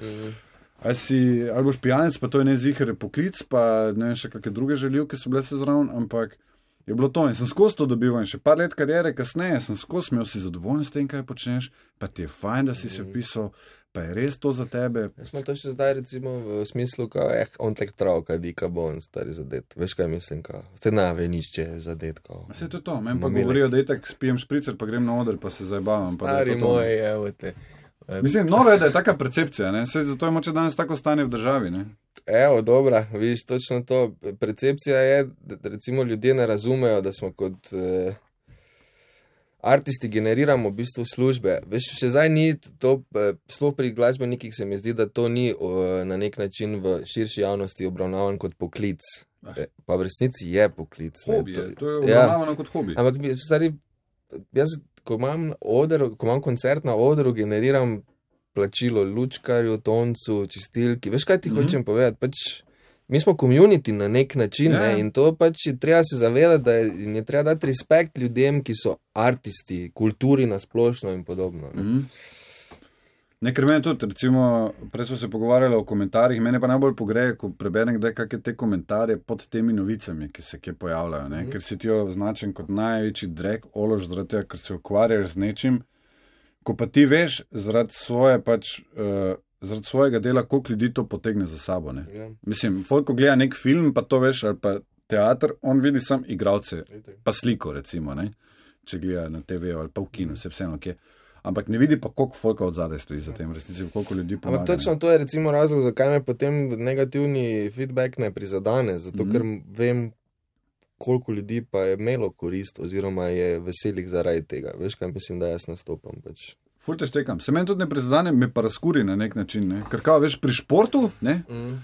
Aj si, ali boš pijanec, pa to je ne ziher poklic, pa ne vem še kakve druge željivke so bile vse zraven, ampak je bilo to in sem skozi to dobival in še par let karijere kasneje sem skozi imel si zadovoljen s tem, kaj počneš, pa ti je fajn, da si se opisal, pa je res to za tebe. Jaz smo to še zdaj recimo v smislu, kao, eh, on tek travka, dika bo on stari zadet. Veš kaj mislim, kao, te nave nišče zadet, kao. Vse to je to, meni pa govorijo, da itak spijem špricer, pa grem na oder, pa se zajebavam. Stari moj, evo te. Mislim, noro je, da je taka percepcija, ne? Sej zato je moče danes tako stanje v državi, ne? Evo, dobra, vidiš, točno to. Percepcija je, da recimo ljudje ne razumejo, da smo kot eh, artisti generiramo v bistvu službe. Veš, še zdaj ni to, eh, sploh pri glasbenikih se mi zdi, da to ni eh, na nek način v širši javnosti obravnavan kot poklic. Eh, pa v resnici je poklic. Hobi je, to je obravnavano ja. kot hobi. Ampak, stari, jaz, ko imam, oder, ko imam koncert na odru, generiram plačilo lučkarju, toncu, čistilki. Veš, kaj ti mm-hmm. hočem povedati? Pač, mi smo community na nek način yeah. ne? In to pač je treba se zavedati, da je, je treba dati respekt ljudem, ki so artisti, kulturi nasplošno in podobno. Ne? Mm-hmm. Nekaj meni tudi, recimo, prej smo se pogovarjali o komentarjih, mene pa najbolj pogreje, ko preberem kdaj kakšne te komentarje pod temi novicami, ki se kje pojavljajo, ne? Mm. Ker si ti jo označen kot največji drek, olož zaradi tega, ker se ukvarjaš z nečim, ko pa ti veš zaradi svoje pač, uh, zaradi svojega dela, koliko ljudi to potegne za sabo, ne? Yeah. Mislim, folk, ko gleda nek film, pa to veš, ali pa teater, on vidi sam igralce, pa sliko, recimo, ne? Če gleda na te ve ali pa v kinu, se vseeno kje. Ampak ne vidi pa, koliko folka od zadaj stoji za tem, v resnici, koliko ljudi pomaga. Ampak točno to je recimo razlog, zakaj me potem negativni feedback ne prizadane, zato mm-hmm. ker vem, koliko ljudi pa je imelo korist oziroma je veselih zaradi tega. Veš, kaj mislim, da jaz nastopam. Pač. Ful te štekam. Se meni tudi ne prizadane, me pa razkuri na nek način, ne? Ker kao, veš, pri športu, ne? Mm.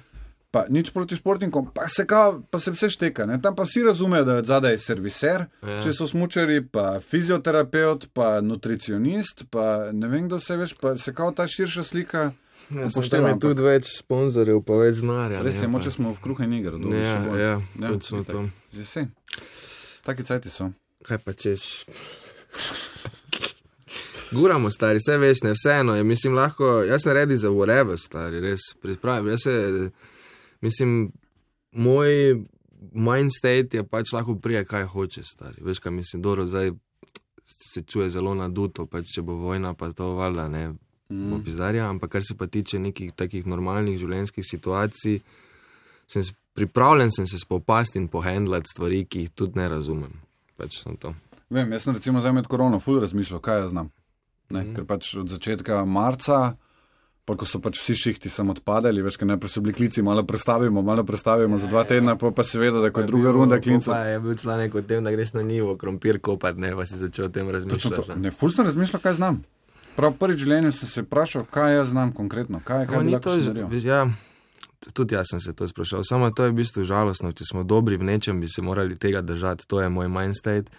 Pa nič proti športnikom, pa se, kao, pa se vse šteka. Ne? Tam pa vsi razumejo, da je zadaj serviser, ja. Če so smučari, pa fizioterapeut, pa nutricionist, pa ne vem, kdo se veš, pa se kao ta širša slika ja, pošteva. Je tudi več sponzorjev, pa več znarja. Res je, moče smo v kruhe nigar. Ja, ja, ja, točno to. Zdaj taki cajti so. Kaj pa češ? Guramo, stari, vse veš, ne, vseeno je, mislim, lahko, jaz sem ready za whatever, stari, res, pripravim, jaz se... Mislim, moj mind state je pač lahko prije, kaj hoče, stari. Veš, kaj mislim, dobro, zdaj se čuje zelo naduto, pač če bo vojna, pa to valjda, ne, mm. bo pizdarja, ampak kar se pa tiče nekih takih normalnih življenjskih situacij, sem pripravljen sem se spopasti in pohendlati stvari, ki jih tudi ne razumem. Pač sem to. Vem, jaz sem recimo zdaj med korono ful razmišljal, kaj jaz znam. Ne, mm. Ker pač od začetka marca, pa ko so pač vsi šihti sem odpadali, veš, ker najprej so bili klici, malo prestavimo, malo prestavimo za dva tedna, pa, pa seveda, da ko je druga runda klinca. Pa je bil članek o tem, da greš na njivo krompir kopat, ne, pa si začel o tem razmišljati. Ne, ful sem razmišljal, kaj znam. Prav prvi življenju sem se vprašal, kaj jaz znam konkretno, kaj, kaj bi lahko še naredil. Ja, tudi jaz sem se to sprašal, samo to je v bistvu žalostno, če smo dobri v nečem, bi se morali tega držati, to je moj mind state.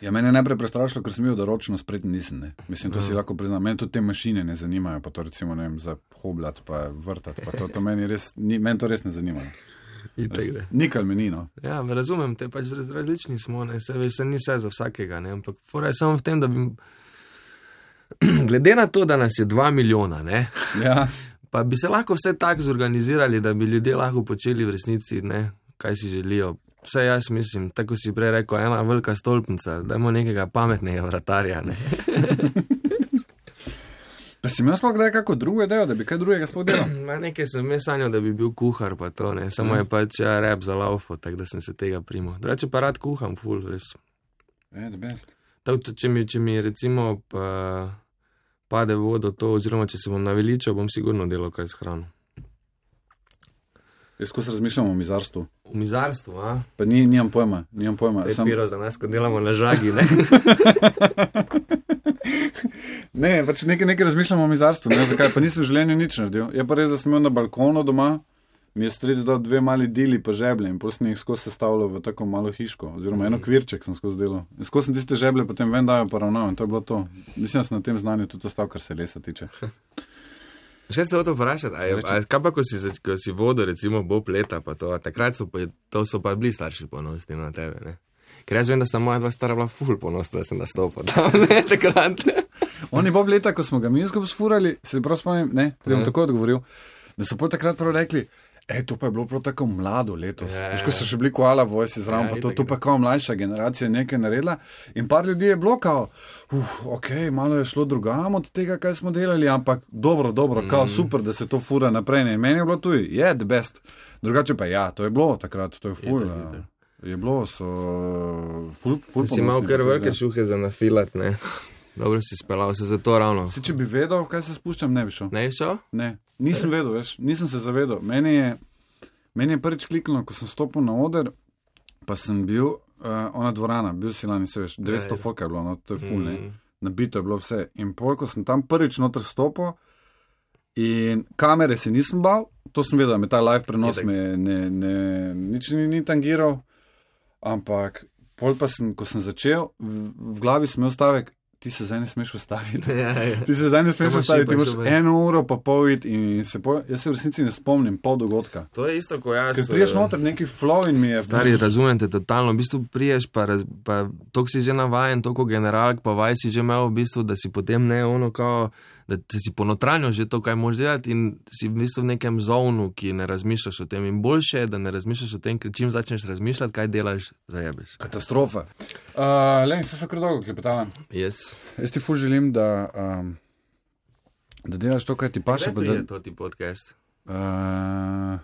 Ja, mene je najprej prestrašilo, ker sem bil, da ročno spreten nisem, ne. Mislim, to si lahko priznam. Meni tudi te mašine ne zanimajo, pa to recimo, ne vem, za hoblat, pa vrtat, pa to, to meni res, ni, meni to res ne zanima. Nikal me ni, no. Ja, razumem, te pač različni smo, ne, se veš, se ni vse za vsakega, ne, ampak fora je samo v tem, da bi, glede na to, da nas je dva milijona, ne, ja. Pa bi se lahko vse tako zorganizirali, da bi ljudje lahko počeli v resnici, ne, kaj si želijo. Vse jaz mislim, tako si prej rekel, ena velika stolpnica, dajmo nekega pametnega vratarja, ne. Pa si imel sploh kdaj kako drugo idejo, da bi kaj drugega sploh delal? Ma nekaj sem me sanjal, da bi bil kuhar, pa to, ne, samo je pač ja, rap za laufo, tako da sem se tega primal. Drugače pa rad kuham, ful, res. Je, the best. Tako, če mi, če mi recimo pa, pade vodo to, oziroma če se bom naveličal, bom sigurno delal kaj s hrano. Jaz ko se razmišljam o mizarstvu. O mizarstvu, a? Pa ni, nimam pojma, nimam pojma. Je sam... piro za nas, ko delamo na žagi, ne? Ne, pač nekaj, nekaj razmišljam o mizarstvu, ne zakaj, pa nisem v življenju nič naredil. Je pa res, da sem imel na balkonu doma, mi je stric dal dve mali dili pa žeblje in potem sem jih skozi sestavljal v tako malo hiško, oziroma eno kvirček sem skozi delal. In skozi sem tiste žeblje potem ven dajo poravnal in to je bilo to. Mislim, da sem na tem znanju tudi ostal, kar se lesa tiče. Še ste o to vprašati, a, je, a kaj pa, ko si, ko si vodo, recimo, bob leta, pa to, a takrat so pa, to so pa bili starši ponosni na tebe, ne? Ker jaz vem, da sta moja dva stara bila ful ponosna, da sem nastopil tam, ne, takrat. Oni bob leta, ko smo ga mi skupaj sfurali, se prav spomnim, ne, da bom tako odgovoril, da so pol takrat prav rekli, ej, to pa je bilo prav tako mlado letos. Ja, veš, ko so še bili koala vojsi zraven, ja, pa to, to pa kao mlajša generacija nekaj naredila in par ljudi je bilo kao, uf, okej, okay, malo je šlo drugam od tega, kaj smo delali, ampak dobro, dobro, mm. kao super, da se to fura naprej. Ne. Meni je bilo tuj, je yeah, the best. Drugače pa ja, to je bilo takrat, to je ful. Je, je bilo, so ful, ful si imel kar velike šuhe za nafilat, ne? Dobro si spelal se za to ravno. Si, če bi vedel, kaj se spuščam, ne bi šel. Ne bi šel? Ne, nisem vedel, veš, nisem se zavedel. Meni je, meni je prvič kliknilo, ko sem stopil na oder, pa sem bil, uh, ona dvorana, bil si lani, se veš, devetsto folka je bilo, no, to je ful, ne, nabito je bilo vse. In pol, ko sem tam prvič noter stopil in kamere se nisem bal, to sem vedel, me ta live prenos me ne, ne, nič ni, ni tangiral, ampak pol pa sem, ko sem začel, v, v glavi sem imel stavek, ti se zdaj ne smeš ustaviti. Ja, ja. Ti se zdaj ne smeš ustaviti, ti moraš eno uro pa pol iti in se po, jaz se v resnici ne spomnim pol dogodka. To je isto, ko jaz... Ker priješ noter neki flow in mi je... Stari, razumem te totalno, v bistvu priješ pa, raz, pa toliko si že navajen, toliko generalk, pa vaj si že imel v bistvu, da si potem ne ono kao, da si ponotranjo že to, kaj moraš delati in si v bistvu v nekem zonu, ki ne razmišljaš o tem in boljše je, da ne razmišljaš o tem, ker čim začneš razmišljati, kaj delaš, zajebeš. Katastrofa. Uh, le, se sva kar dolgo klepetala. Yes. Jaz ti ful želim, da, um, da delaš to, kaj ti paše. Kdaj prije to ti podcast? Uh,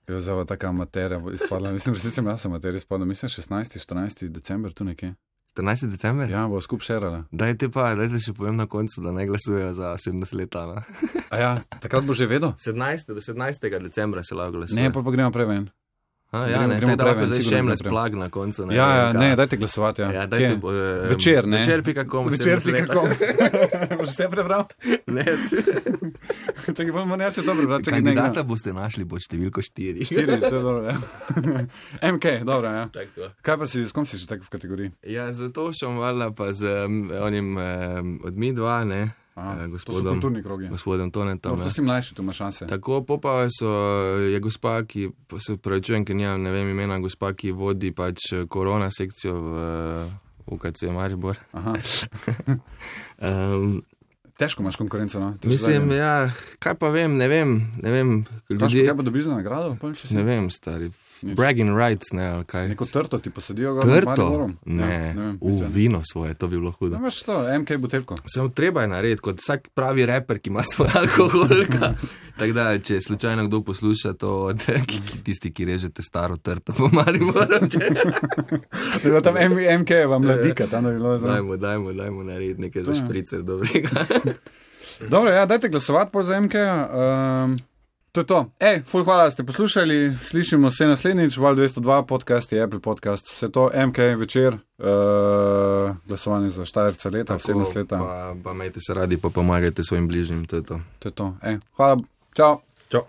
jo, zava taka materija izpadla. Mislim, resnici jaz sem materija izpadla. Mislim, šestnajsti, štirinajsti december, tu nekje. štirinajsti december? Ja, bo skup šerala. Daj ti pa, daj ti še povem na koncu, da ne glasujejo za sedemdeset let. A ja, takrat bo že vedel? sedemnajstega do sedemnajstega decembra se lahko glasuje. Ne, pa pa gremo prej ven. A, ja, gremo, ne, gremo tako da lahko zdaj shameless plug na koncu. Ne, ja, ja, ne, dajte glasovati, ja. ja dajte, uh, večer, ne? Večer pika kom. Večer pika kom. Boš vse prebral? Ne. Čakaj, bomo ne še to prebral. Kandidata boste našli pod številko štiri. štiri, to je dobro, ja. M K, dobro, ja. Tako. Kaj pa si, s kom si še tako v kategoriji? Ja, zato šom valjda pa z um, onim um, od mi dva, ne. Aha, gospodom, to so kulturni krogi. Gospodom Tonetom. No, to si mlajši, tu ima šanse. Tako, popa so, je gospa, ki, se pravičujem, ker nimam, ne vem imena, gospa, ki vodi pač korona sekcijo v U K C Maribor. Aha. um, Težko imaš konkurenco, no? To mislim, ja, kaj pa vem, ne vem, ne vem. Ljudje, kaj pa dobiš za nagrado? Ne vem, stari. Nič. Bragging rights, ne, ali kaj. Neko trto ti posadijo ga. Trto? Ne, ja, ne vem, v vino svoje, to bi bilo hudo. Ne imaš to, M K buteljko. Samo treba je narediti, kot vsak pravi reper, ki ima svoj alkoholka. Tako da, če slučajno kdo posluša to od tisti, ki režete staro trto po Mariboru. Bilo tam M K vam mladika, tam da bi bilo zelo. Dajmo, dajmo, dajmo narediti nekaj za špricer dobrega. Dobro, ja, dajte glasovati po za M K. Um, to je to. Ej, ful hvala, da ste poslušali. Slišimo se naslednjič, Val dvesto dva podcast, Apple podcast, vse to, M K večer, uh, glasovanje za Štajerca leta, sedemnajst leta. Pa, pa majte se radi, pa pomagajte svojim bližnjim, to je to. To je to. Ej, hvala, čau. Čau.